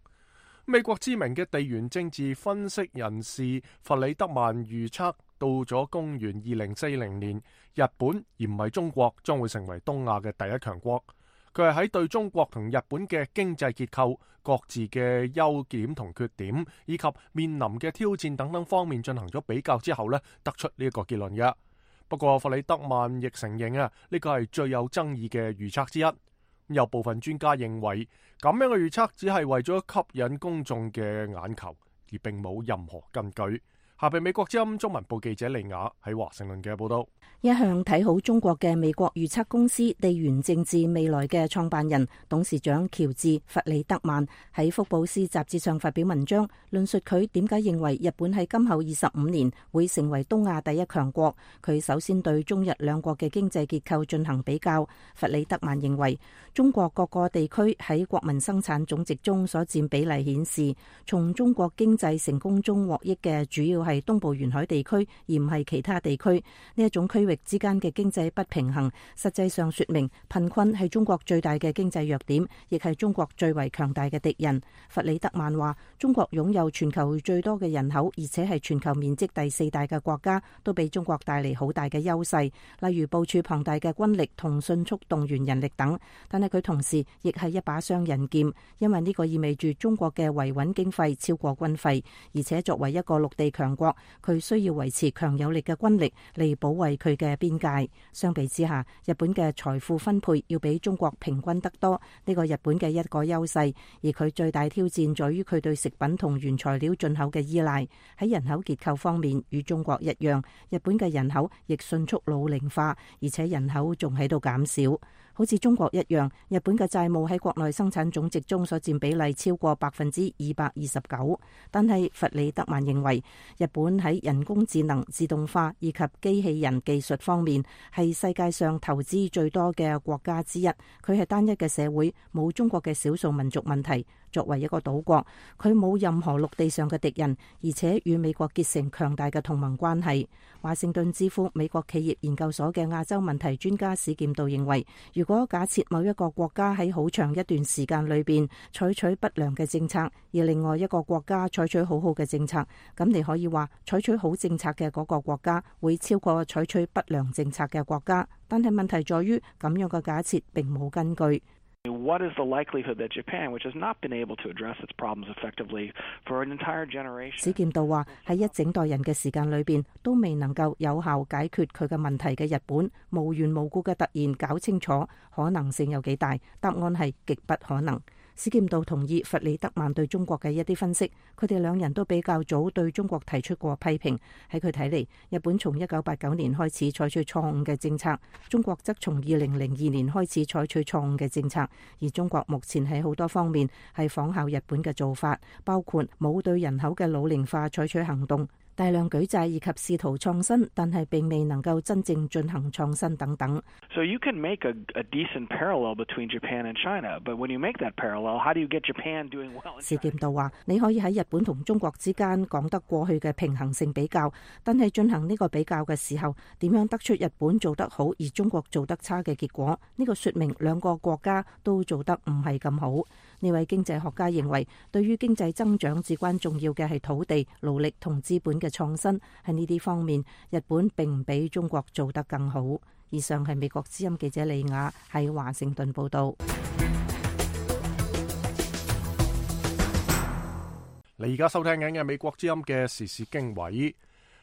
Speaker 1: 美國知名嘅地緣政治分析人士弗里德曼預測，到咗公元二零四零年，日本而唔係中國將會成為東亞嘅第一強國。佢係喺對中國同日本嘅經濟結構、各自嘅優點同缺點，以及面臨嘅挑戰等等方面進行咗比較之後呢，得出呢一個結論嘅。不過弗里德曼亦承認啊，呢個係最有爭議嘅預測之一。有部分專家認為，咁樣嘅預測只係為咗吸引公眾嘅眼球，而並冇任何根據。下邊美國之音中文部記者利亞喺華盛頓嘅報道。
Speaker 5: 一向睇好中國嘅美國預測公司地緣政治未來嘅創辦人董事長喬治弗里德曼喺福布斯雜誌上發表文章，論述佢點解認為日本喺今後二十五年會成為東亞第一強國。佢首先對中日兩國嘅經濟結構進行比較。弗里德曼認為，中國各個地區喺國民生產總值中所佔比例顯示，從中國經濟成功中獲益嘅主要係東部沿海地區，而唔係其他地區。呢一種區域之間嘅經濟不平衡，實際上說明貧困係中國最大嘅經濟弱點，亦係中國最為強大嘅敵人。弗里德曼話，中國擁有全球最多嘅人口，而且係全球面積第四大嘅國家，都俾中國帶嚟好大嘅優勢，例如部署龐大嘅軍力同迅速動員人力等。但係佢同時亦係一把雙刃劍，因為呢個意味住中國嘅維穩經費超過軍費，而且作為一個陸地強國，佢需要維持強有力嘅軍力嚟保衛佢嘅邊界。相比之下，日本嘅財富分配要比中國平均得多，呢個日本嘅一個優勢。而佢最大挑戰在於佢對食品同原材料進口嘅依賴。喺人口結構方面，與中國一樣，日本嘅人口亦迅速老齡化，而且人口仲喺度減少。好似中國一樣，日本嘅債務喺國內生產總值中所佔比例超過百分之二百二十九。但係弗里德曼認為，日本喺人工智能、自動化以及機器人技術方面係世界上投資最多嘅國家之一。佢係單一嘅社會，冇中國嘅少數民族問題。作為一個島國，佢冇任何陸地上嘅敵人，而且與美國結成強大嘅同盟關係。華盛頓之父美國企業研究所嘅亞洲問題專家史劍道認為，如果假設某一個國家喺好長一段時間裏邊採取不良嘅政策，而另外一個國家採取好好嘅政策，咁你可以話採取好政策嘅嗰個國家會超過採取不良政策嘅國家。但係問題在於，咁樣嘅假設並冇根據。
Speaker 12: What is the likelihood that Japan, which has not been able to address its problems effectively for an entire generation?
Speaker 5: 史劍道話，喺一整代人嘅時間裏邊都未能夠有效解決佢嘅問題嘅日本，無緣無故嘅突然搞清楚，可能性有幾大？答案係極不可能。史劍道同意弗里德曼對中國嘅一啲分析，佢哋兩人都比較早對中國提出過批評。喺佢睇嚟，日本從一九八九年開始採取錯誤嘅政策，中國則從二零零二年開始採取錯誤嘅政策，而中國目前喺好多方面係仿效日本嘅做法，包括冇對人口嘅老齡化採取行動，大量舉債以及試圖創新，但係並未能夠真正進行創新等等。
Speaker 12: So you can make a, a decent parallel between Japan and China, but when you make that parallel, how do you get Japan doing well?
Speaker 5: 史劍道話：你可以喺日本同中國之間講得過去嘅平衡性比較，但係進行呢個比較嘅時候，點樣得出日本做得好而中國做得差嘅結果？呢個說明兩個國家都做得唔係咁好。呢位經濟學家認為，對於經濟增長至關重要嘅係土地、勞力同資本嘅創新。喺呢啲方面，日本並唔比中國做得更好。以上係美國之音記者李雅喺華盛頓報道。
Speaker 1: 你而家收聽緊嘅美國之音嘅時事經緯。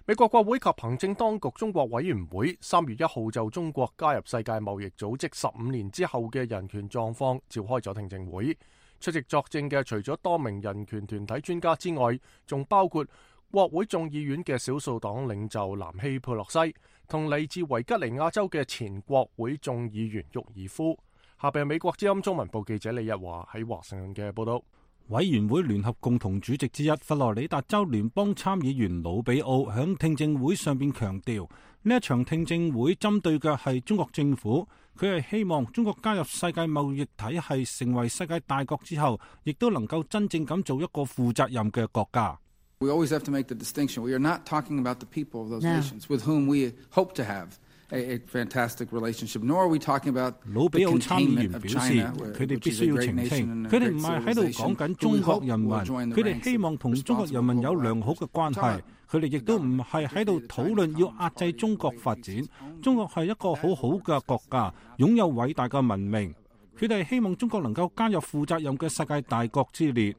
Speaker 1: 美國國會及行政當局中國委員會三月一號就中國加入世界貿易組織十五年之後嘅人權狀況召開咗聽證會。出席作證嘅除咗多名人權團體專家之外，仲包括國會眾議院嘅少數黨領袖南希佩洛西同嚟自維吉尼亞州嘅前國會眾議員沃爾夫。下邊美國之音中文部記者李日華喺華盛頓嘅報道。
Speaker 11: 委員會聯合共同主席之一佛羅里達州聯邦參議員魯比奧響聽證會上邊強調，呢一場聽證會針對嘅係中國政府，佢係希望中國加入世界貿易體系，成為世界大國之後，亦都能夠真正咁做一個負責任嘅國家。
Speaker 13: We always have to make the distinction. We are not talking about the people of those nations with whom we hope to have a, a fantastic relationship, nor are we talking about the containment of China, which is a great nation and a great civilization.
Speaker 11: 佢哋唔係喺度講緊中國人民，佢哋希望同中國人民有良好嘅關係。佢哋亦都唔係喺度討論要壓制中國發展。中國係一個好好嘅國家，擁有偉大嘅文明。佢哋希望中國能夠加入負責任嘅世界大國之列。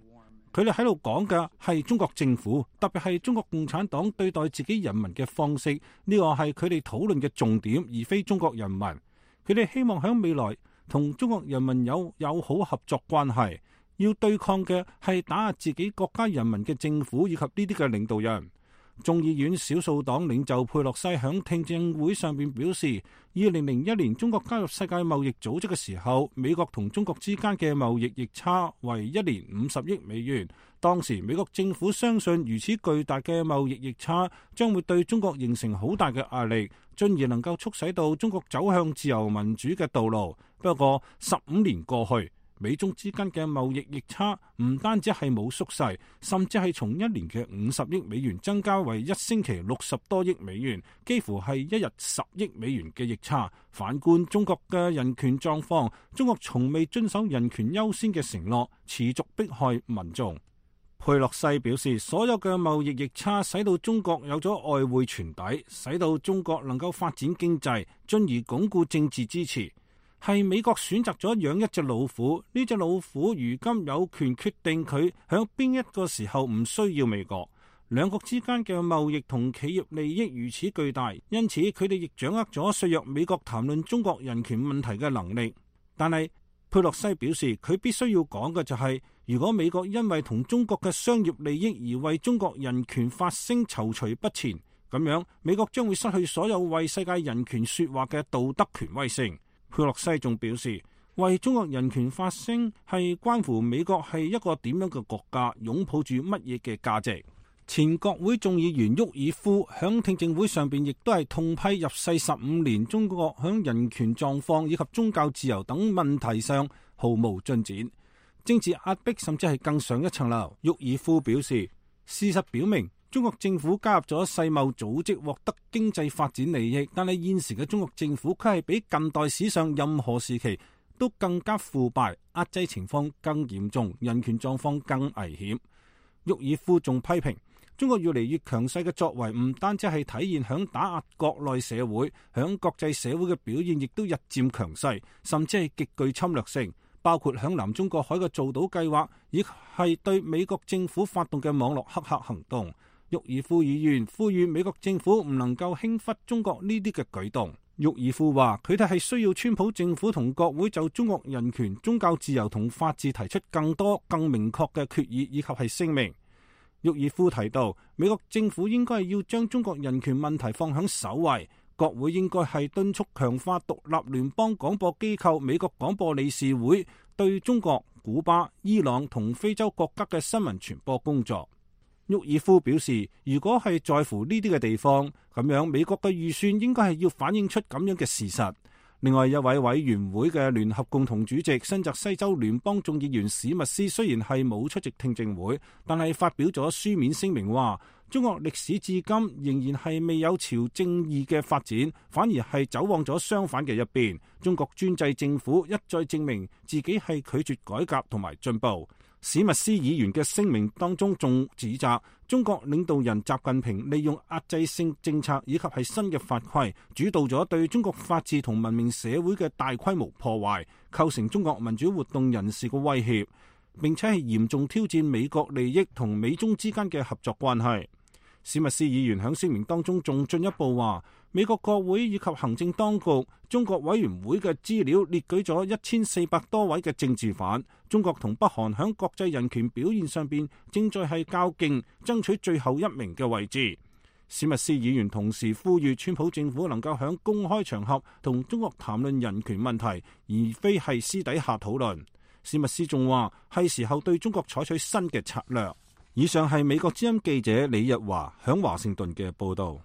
Speaker 11: 佢哋喺度講嘅係中國政府，特別係中國共產黨對待自己人民嘅方式，呢個係佢哋討論嘅重點，而非中國人民。佢哋希望喺未來同中國人民有友好合作關係，要對抗嘅係打壓自己國家人民嘅政府以及呢啲嘅領導人。眾議院少數黨領袖佩洛西響聽證會上邊表示，二零零一年中國加入世界貿易組織嘅時候，美國同中國之間嘅貿易逆差為一年五十億美元。當時美國政府相信如此巨大嘅貿易逆差將會對中國形成好大嘅壓力，進而能夠促使到中國走向自由民主嘅道路。不過十五年過去，美中之間嘅貿易逆差唔單止係冇縮細，甚至係從一年嘅五十億美元增加為一星期六十多億美元，幾乎係一日十億美元嘅逆差。反觀中國嘅人權狀況，中國從未遵守人權優先嘅承諾，持續迫害民眾。佩洛西表示，所有嘅貿易逆差使到中國有咗外匯存底，使到中國能夠發展經濟，進而鞏固政治支持。係美國選擇咗養一隻老虎，呢隻老虎如今有權決定佢響邊一個時候唔需要美國。兩國之間嘅貿易同企業利益如此巨大，因此佢哋亦掌握咗削弱美國談論中國人權問題嘅能力。但係佩洛西表示，佢必須要講嘅就係、是，如果美國因為同中國嘅商業利益而為中國人權發聲躊躇不前，咁樣美國將會失去所有為世界人權說話嘅道德權威性。佩洛西仲表示，為中國人權發聲係關乎美國係一個點樣嘅國家，擁抱住乜嘢嘅價值。前國會眾議員沃爾夫響聽證會上邊亦都係痛批入世十五年中國響人權狀況以及宗教自由等問題上毫無進展，政治壓迫甚至係更上一層樓。沃爾夫表示，事實表明中國政府加入咗世貿組織獲得經濟發展利益，但係現時嘅中國政府佢係比近代史上任何時期都更加腐敗，壓制情況更嚴重，人權狀況更危險。沃爾夫仲批評中國越嚟越強勢嘅作為唔單止係體現響打壓國內社會，響國際社會嘅表現亦都日漸強勢，甚至係極具侵略性，包括響南中國海嘅造島計劃，亦係對美國政府發動嘅網絡黑客行動。沃爾夫議員呼籲美國政府唔能夠輕忽中國呢啲嘅舉動。沃爾夫話：佢哋係需要川普政府同國會就中國人權、宗教自由同法治提出更多、更明確嘅決議以及係聲明。沃爾夫提到，美國政府應該要將中國人權問題放喺首位，國會應該係敦促強化獨立聯邦廣播機構美國廣播理事會對中國、古巴、伊朗同非洲國家嘅新聞傳播工作。沃爾夫表示，如果係在乎呢啲嘅地方，咁樣美國嘅預算應該係要反映出咁樣嘅事實。另外一位委員會嘅聯合共同主席新澤西州聯邦眾議員史密斯雖然係冇出席聽證會，但係發表咗書面聲明話，中國歷史至今仍然係未有朝正義嘅發展，反而係走往咗相反嘅一邊。中國專制政府一再證明自己係拒絕改革同埋進步。史密斯議員嘅聲明當中仲指責中國領導人習近平利用壓制性政策以及係新嘅法規，主導咗對中國法治同文明社會嘅大規模破壞，構成中國民主活動人士嘅威脅，並且係嚴重挑戰美國利益同美中之間嘅合作關係。史密斯議員喺聲明當中仲進一步話，美國國會以及行政當局、中國委員會嘅資料列舉咗一千四百多位嘅政治犯。中國同北韓喺國際人權表現上邊正在係較勁，爭取最後一名嘅位置。史密斯議員同時呼籲川普政府能夠喺公開場合同中國談論人權問題，而非係私底下討論。史密斯仲話係時候對中國採取新嘅策略。以上係美國之音記者李日華響華盛頓嘅報道。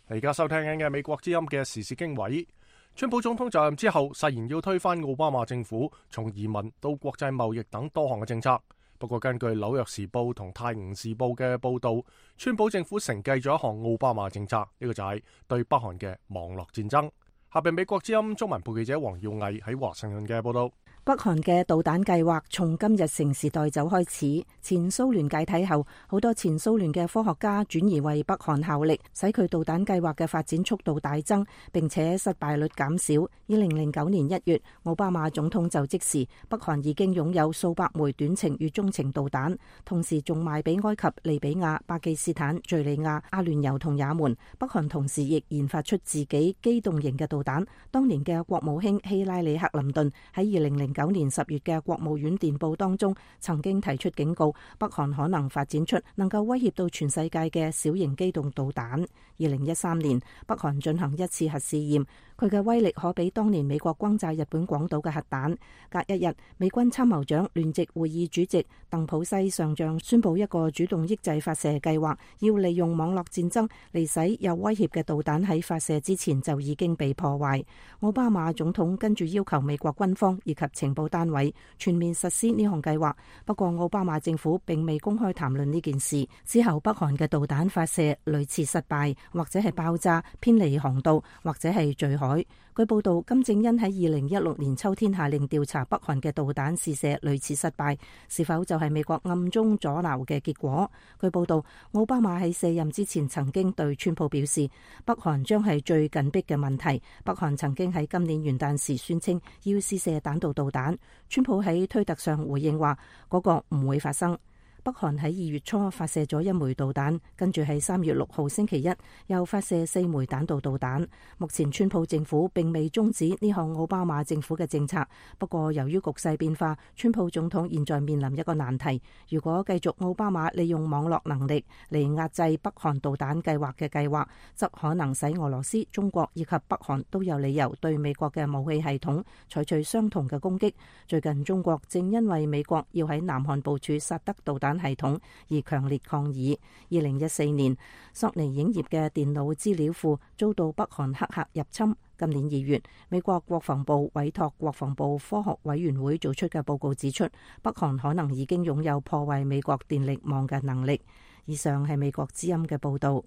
Speaker 1: 而家收聽緊嘅美國之音嘅時事經緯，川普總統就任之後誓言要推翻奧巴馬政府從移民到國際貿易等多項嘅政策。不過根據紐約時報同泰晤士報嘅報道，川普政府承繼咗一項奧巴馬政策，呢、這個就係對北韓嘅網絡戰爭。下邊美國之音中文部記者黃耀毅喺華盛頓嘅報道。
Speaker 5: 北韓嘅導彈計劃從今日成時代走開始。前蘇聯解體後，好多前蘇聯嘅科學家轉移為北韓效力，使佢導彈計劃嘅發展速度大增，並且失敗率減少。二零零九年一月，奧巴馬總統就職時，北韓已經擁有數百枚短程與中程導彈，同時仲賣俾埃及、利比亞、巴基斯坦、敘利亞、阿聯酋同也門。北韓同時亦研發出自己機動型嘅導彈。當年嘅國務卿希拉里克林頓喺二零零九年十月嘅國務院電報當中，曾經提出警告，北韓可能發展出能夠威脅到全世界嘅小型機動導彈。二零一三年，北韓進行一次核試驗，佢嘅威力可比當年美國轟炸日本廣島嘅核彈。隔一日，美軍參謀長聯席會議主席鄧普西上將宣布一個主動抑制發射計劃，要利用網絡戰爭嚟使有威脅嘅導彈喺發射之前就已經被破壞。奧巴馬總統跟住要求美國軍方以及情報單位全面實施呢項計劃，不過奧巴馬政府並未公開談論呢件事。之後北韓嘅導彈發射屢次失敗，或者係爆炸、偏離航道，或者係墜海。據報道，金正恩喺二零一六年秋天下令調查北韓嘅導彈試射屢次失敗，是否就係美國暗中阻撓嘅結果？據報道，奧巴馬喺卸任之前曾經對川普表示，北韓將係最緊迫嘅問題。北韓曾經喺今年元旦時宣稱要試射彈道導彈，川普喺推特上回應話嗰個唔會發生。北韓喺二月初發射咗一枚導彈，跟住喺三月六號星期一又發射四枚彈道導彈。目前川普政府並未終止呢項奧巴馬政府嘅政策，不過由於局勢變化，川普總統現在面臨一個難題。如果繼續奧巴馬利用網絡能力嚟壓制北韓導彈計劃嘅計劃，則可能使俄羅斯、中國以及北韓都有理由對美國嘅武器系統採取相同嘅攻擊。最近中國正因為美國要喺南韓部署薩德導彈系統而強烈抗議。二零一四年，索尼影業嘅電腦資料庫遭到北韓黑客入侵。今年二月，美國國防部委託國防部科學委員會做出嘅報告指出，北韓可能已經擁有破壞美國電力網嘅能力。以上係美國之音嘅報道。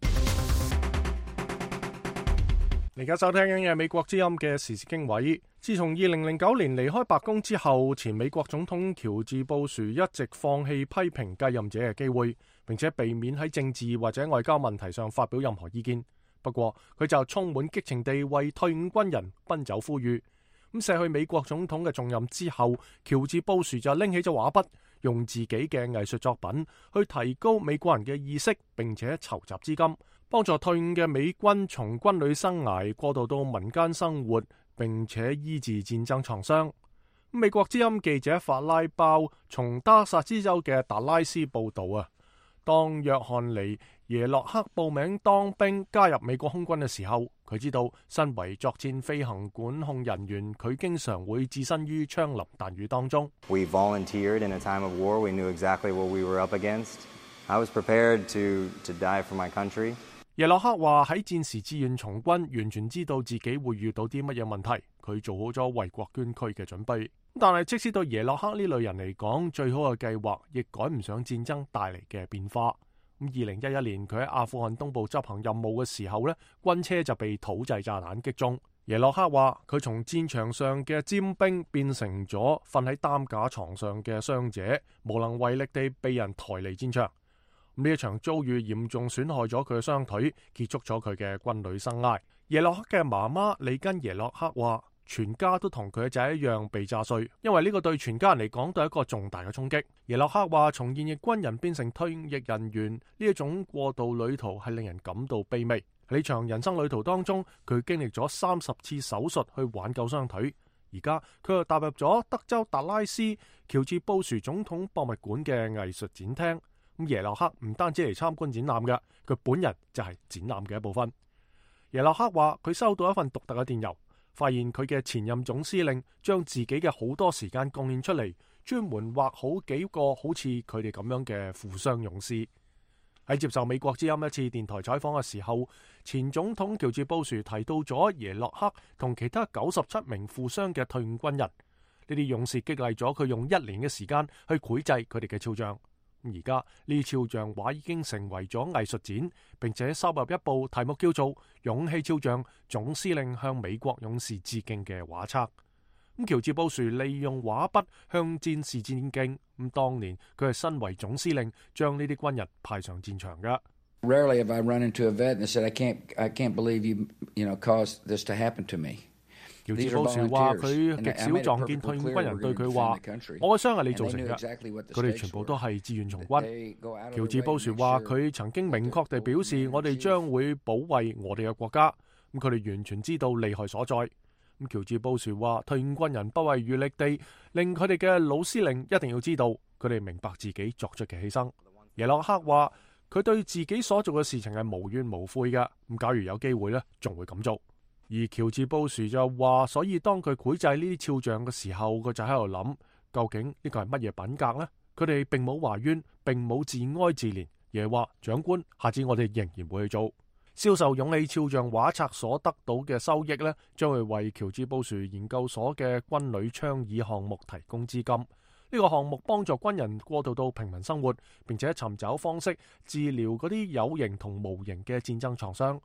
Speaker 1: 而家收聽緊嘅美國之音嘅時事經緯。自從二零零九年離開白宮之後，前美國總統喬治布殊一直放棄批評繼任者嘅機會，並且避免喺政治或者外交問題上發表任何意見。不過佢就充滿激情地為退伍軍人奔走呼籲。咁卸去美國總統嘅重任之後，喬治布殊就拎起咗畫筆，用自己嘅藝術作品去提高美國人嘅意識，並且籌集資金，幫助退伍嘅美軍從軍旅生涯過渡到民間生活，並且醫治戰爭創傷。美國之音記者法拉包從德薩斯州嘅達拉斯報道啊，當約翰尼耶洛克報名當兵加入美國空軍嘅時候，佢知道身為作戰飛行管控人員，佢經常會置身於槍林彈雨當中。
Speaker 14: We volunteered in a time of war. We knew exactly what we were up against. I was prepared to to die for my country.
Speaker 1: 耶洛克話喺戰時志願從軍，完全知道自己會遇到啲乜嘢問題，佢做好咗為國捐軀嘅準備。但係即使對耶洛克呢類人嚟講，最好嘅計劃亦趕唔上戰爭帶嚟嘅變化。咁二零一一年佢喺阿富汗東部執行任務嘅時候呢，軍車就被土製炸彈擊中。耶洛克話佢從戰場上嘅尖兵變成咗瞓喺擔架床上嘅傷者，無能為力地被人抬離戰場。呢一場遭遇嚴重損害咗佢嘅雙腿，結束咗佢嘅軍旅生涯。耶洛克嘅媽媽里根耶洛克話，全家都同佢嘅仔一樣被炸碎，因為呢個對全家人嚟講都係一個重大嘅衝擊。耶洛克話，從現役軍人變成退役人員呢一種過渡旅途係令人感到卑微。喺呢場人生旅途當中，佢經歷咗三十次手術去挽救雙腿，而家佢又踏入咗德州達拉斯喬治布殊總統博物館嘅藝術展廳。咁耶洛克唔單止嚟參觀展覽嘅，佢本人就係展覽嘅一部分。耶洛克話佢收到一份獨特嘅電郵，發現佢嘅前任總司令將自己嘅好多時間貢獻出嚟，專門畫好幾個好似佢哋咁樣嘅負傷勇士。喺接受美國之音一次電台採訪嘅時候，前總統喬治布殊提到咗耶洛克同其他九十七名負傷嘅退伍軍人，呢啲勇士激勵咗佢用一年嘅時間去繪製佢哋嘅肖像。而家呢肖像畫已經成為咗藝術展，並且收入一部題目叫做《勇氣肖像：總司令向美國勇士致敬》嘅畫冊。咁喬治布殊利用畫筆向戰士致敬。咁當年佢係身為總司令，將呢啲軍人派上戰場㗎。
Speaker 13: Rarely have I run into a vet and said, I can't, I can't believe you, you know, caused this to happen to me.
Speaker 1: 喬治布殊話佢極少撞見退伍軍人對佢話，我嘅傷係你造成嘅。佢哋全部都係志願從軍。喬治布殊話佢曾經明確地表示，我哋將會保衛我哋嘅國家。咁佢哋完全知道利害所在。咁喬治布殊話退伍軍人不遺餘力地令佢哋嘅老司令一定要知道，佢哋明白自己作出嘅犧牲。耶洛克話佢對自己所做嘅事情係無怨無悔嘅。咁假如有機會呢，仲會咁做。而喬治布殊就話，所以當佢繪製呢啲肖像嘅時候，佢就喺度諗，究竟呢個係乜嘢品格呢？佢哋並冇懷怨，並冇自哀自憐，而係話長官，下次我哋仍然會去做。銷售勇氣肖像畫冊所得到嘅收益呢，將會為喬治布殊研究所嘅軍旅倡議項目提供資金。呢、這個項目幫助軍人過渡到平民生活，並且尋找方式治療嗰啲有形同無形嘅戰爭創傷。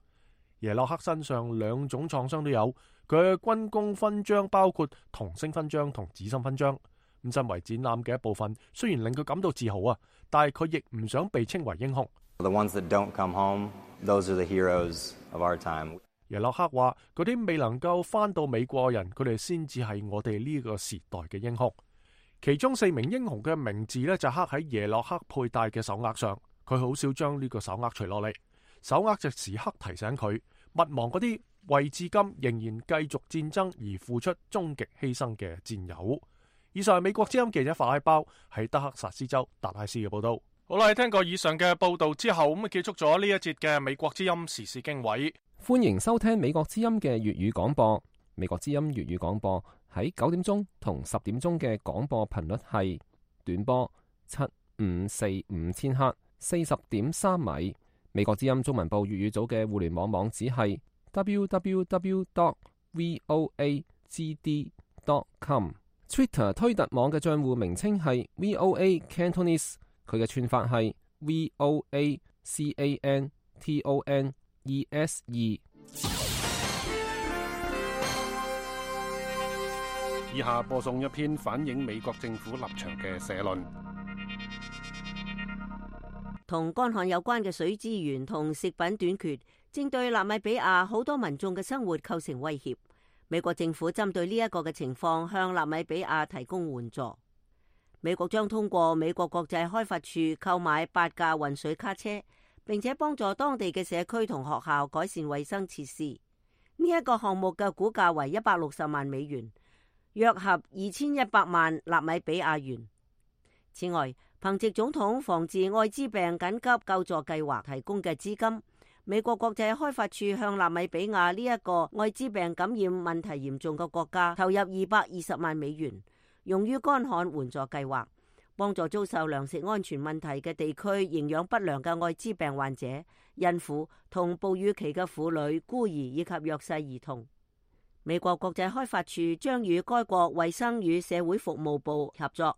Speaker 1: 耶洛克身上兩種創傷都有，佢嘅軍功勳章包括銅星勳章同紫心勳章。咁身為展覽嘅一部分，雖然令佢感到自豪啊，但係佢亦唔想被稱為英雄。
Speaker 14: The ones that don't come home, those are the heroes of our time.
Speaker 1: 耶洛克話：嗰啲未能夠翻到美國嘅人，佢哋先至係我哋呢個時代嘅英雄。其中四名英雄嘅名字呢，就刻喺耶洛克佩戴嘅手鐲上，佢好少將呢個手鐲除落嚟。手鐲就時刻提醒佢，勿忘嗰啲為至今仍然繼續戰爭而付出終極犧牲嘅戰友。以上係美國之音記者法拉包喺德克薩斯州達拉斯嘅報道。好啦，聽過以上嘅報道之後，咁啊結束咗呢一節嘅美國之音時事經緯。
Speaker 3: 歡迎收聽美國之音嘅粵語廣播。美國之音粵語廣播喺九點鐘同十點鐘嘅廣播頻率係短波七五四五千赫，四十點三米。美國之音中文部粵語組嘅互聯網網址係 double-u double-u double-u dot voa g d dot com。Twitter 推特網嘅賬戶名稱係 V O A Cantonese， 佢嘅串法係 V O A C A N T O N E S E。
Speaker 15: 以下播送一篇反映美國政府立場嘅社論。
Speaker 8: 同乾旱有關嘅水資源同食品短缺，正對納米比亞好多民眾嘅生活構成威脅。美國政府針對呢一個嘅情況，向納米比亞提供援助。美國將通過美國國際開發署購買八架運水卡車，並且幫助當地嘅社區同學校改善衛生設施。呢、這、一個項目嘅估價為一百六十萬美元，約合二千一百萬納米比亞元。此外，憑藉總統防治艾滋病緊急救助計劃提供嘅資金，美國國際開發署向納米比亞呢一個艾滋病感染問題嚴重嘅國家投入二百二十萬美元，用於乾旱援助計劃，幫助遭受糧食安全問題嘅地區營養不良嘅艾滋病患者、孕婦同哺乳期嘅婦女、孤兒以及弱勢兒童。美國國際開發署將與該國衛生與社會服務部合作，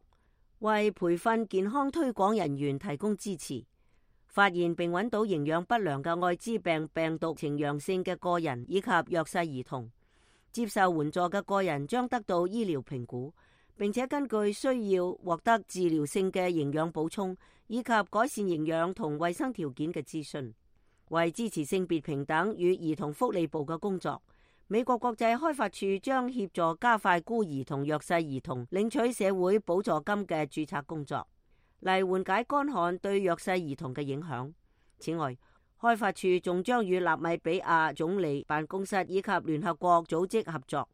Speaker 8: 為培訓健康推廣人員提供支持。發現並揾到營養不良嘅艾滋病病毒呈陽性嘅個人以及弱勢兒童，接受援助嘅個人將得到醫療評估，並且根據需要獲得治療性嘅營養補充以及改善營養同衛生條件嘅資訊。為支持性別平等與兒童福利部嘅工作，美國國際開發署將協助加快孤兒同弱勢兒童領取社會補助金嘅註冊工作，嚟緩解乾旱對弱勢兒童嘅影響。此外，開發署仲將與納米比亞總理辦公室以及聯合國組織合作，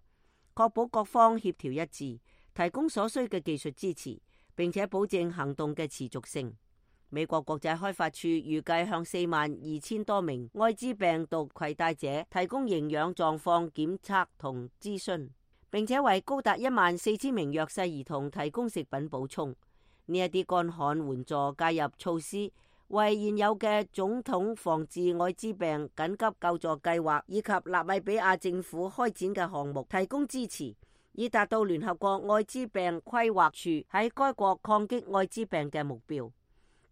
Speaker 8: 確保各方協調一致，提供所需嘅技術支持，並且保證行動嘅持續性。美國國際開發署預計向四萬二千多名艾滋病毒攜帶者提供營養狀況檢測同諮詢，並且為高達一萬四千名弱勢兒童提供食品補充。呢一啲乾旱援助介入措施，為現有嘅總統防治艾滋病緊急救助計劃以及納米比亞政府開展嘅項目提供支持，以達到聯合國艾滋病規劃署喺該國抗擊艾滋病嘅目標。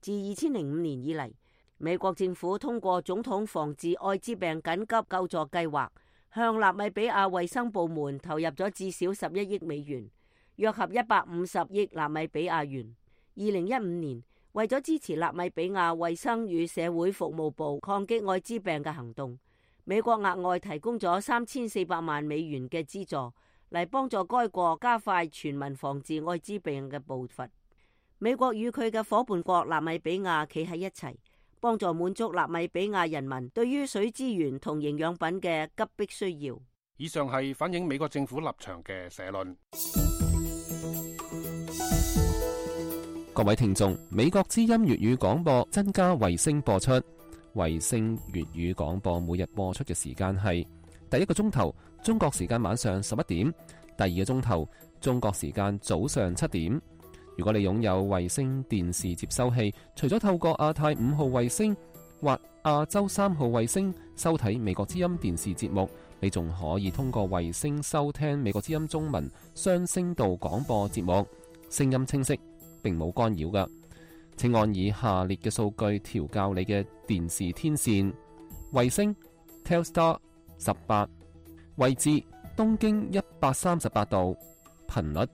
Speaker 8: 自二千零五年以嚟，美國政府通過總統防治艾滋病緊急救助計劃，向納米比亞衛生部門投入咗至少十一億美元，約合一百五十億納米比亞元。二零一五年，為咗支持納米比亞衛生與社會服務部抗擊艾滋病嘅行動，美國額外提供咗三千四百萬美元嘅資助，嚟幫助該國加快全民防治艾滋病嘅步伐。美國與佢嘅伙伴國納米比亞企喺一齊，幫助滿足納米比亞人民對於水資源同營養品嘅急迫需要。
Speaker 15: 以上係反映美國政府立場嘅社論。
Speaker 3: 各位聽眾，美國之音粵語廣播增加衛星播出，衛星粵語廣播每日播出嘅時間係第一個鐘頭中國時間晚上十一點，第二個鐘頭中國時間早上七點。如果你擁有衛星電視接收器，除咗透過亞太五號衛星或亞洲三號衛星收睇美國之音電視節目，你仲可以通過衛星收聽美國之音中文雙聲道廣播節目，聲音清晰，並冇干擾㗎。請按以下列嘅數據調校你嘅電視天線：衛星 Telstar 十八，位置東經一百三十八度，頻率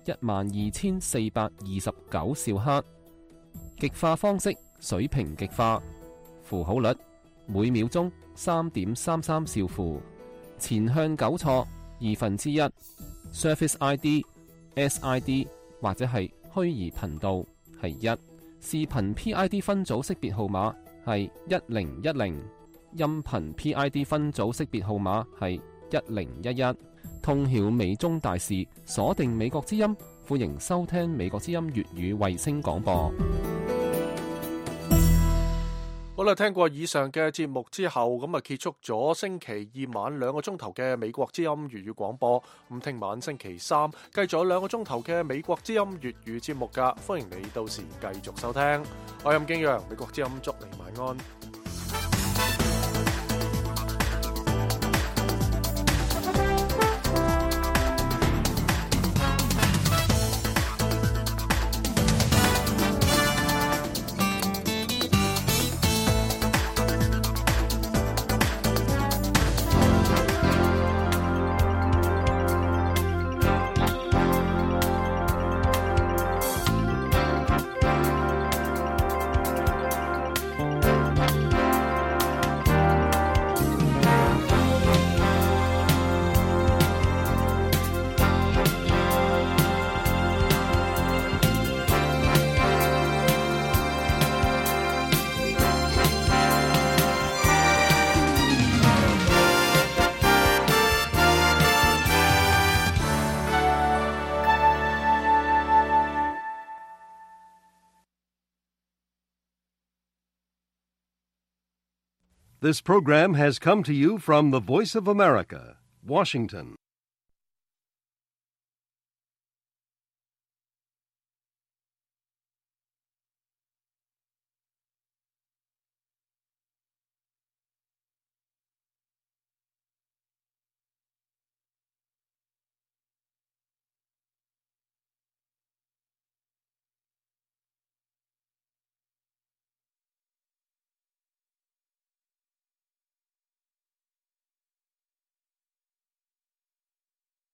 Speaker 3: 一萬二千四百二十九兆赫，極化方式水平極化，符號率每秒鐘三點三三兆符，前向糾錯二分之一 ，Surface I D、S I D 或者係虛擬頻道係一，視頻 P I D 分組識別號碼係一零一零，音頻 P I D 分組識別號碼係一零一一。通曉美中大事，鎖定美國之音，歡迎收聽美國之音粵語衛星廣播。
Speaker 1: 好啦，聽過以上嘅節目之後，咁啊結束咗星期二晚兩個鐘頭嘅美國之音粵語廣播。咁聽晚星期三繼續有兩個鐘頭嘅美國之音粵語節目噶，歡迎你到時繼續收聽。我係任敬陽，美國之音祝你晚安。
Speaker 16: This program has come to you from the Voice of America, Washington.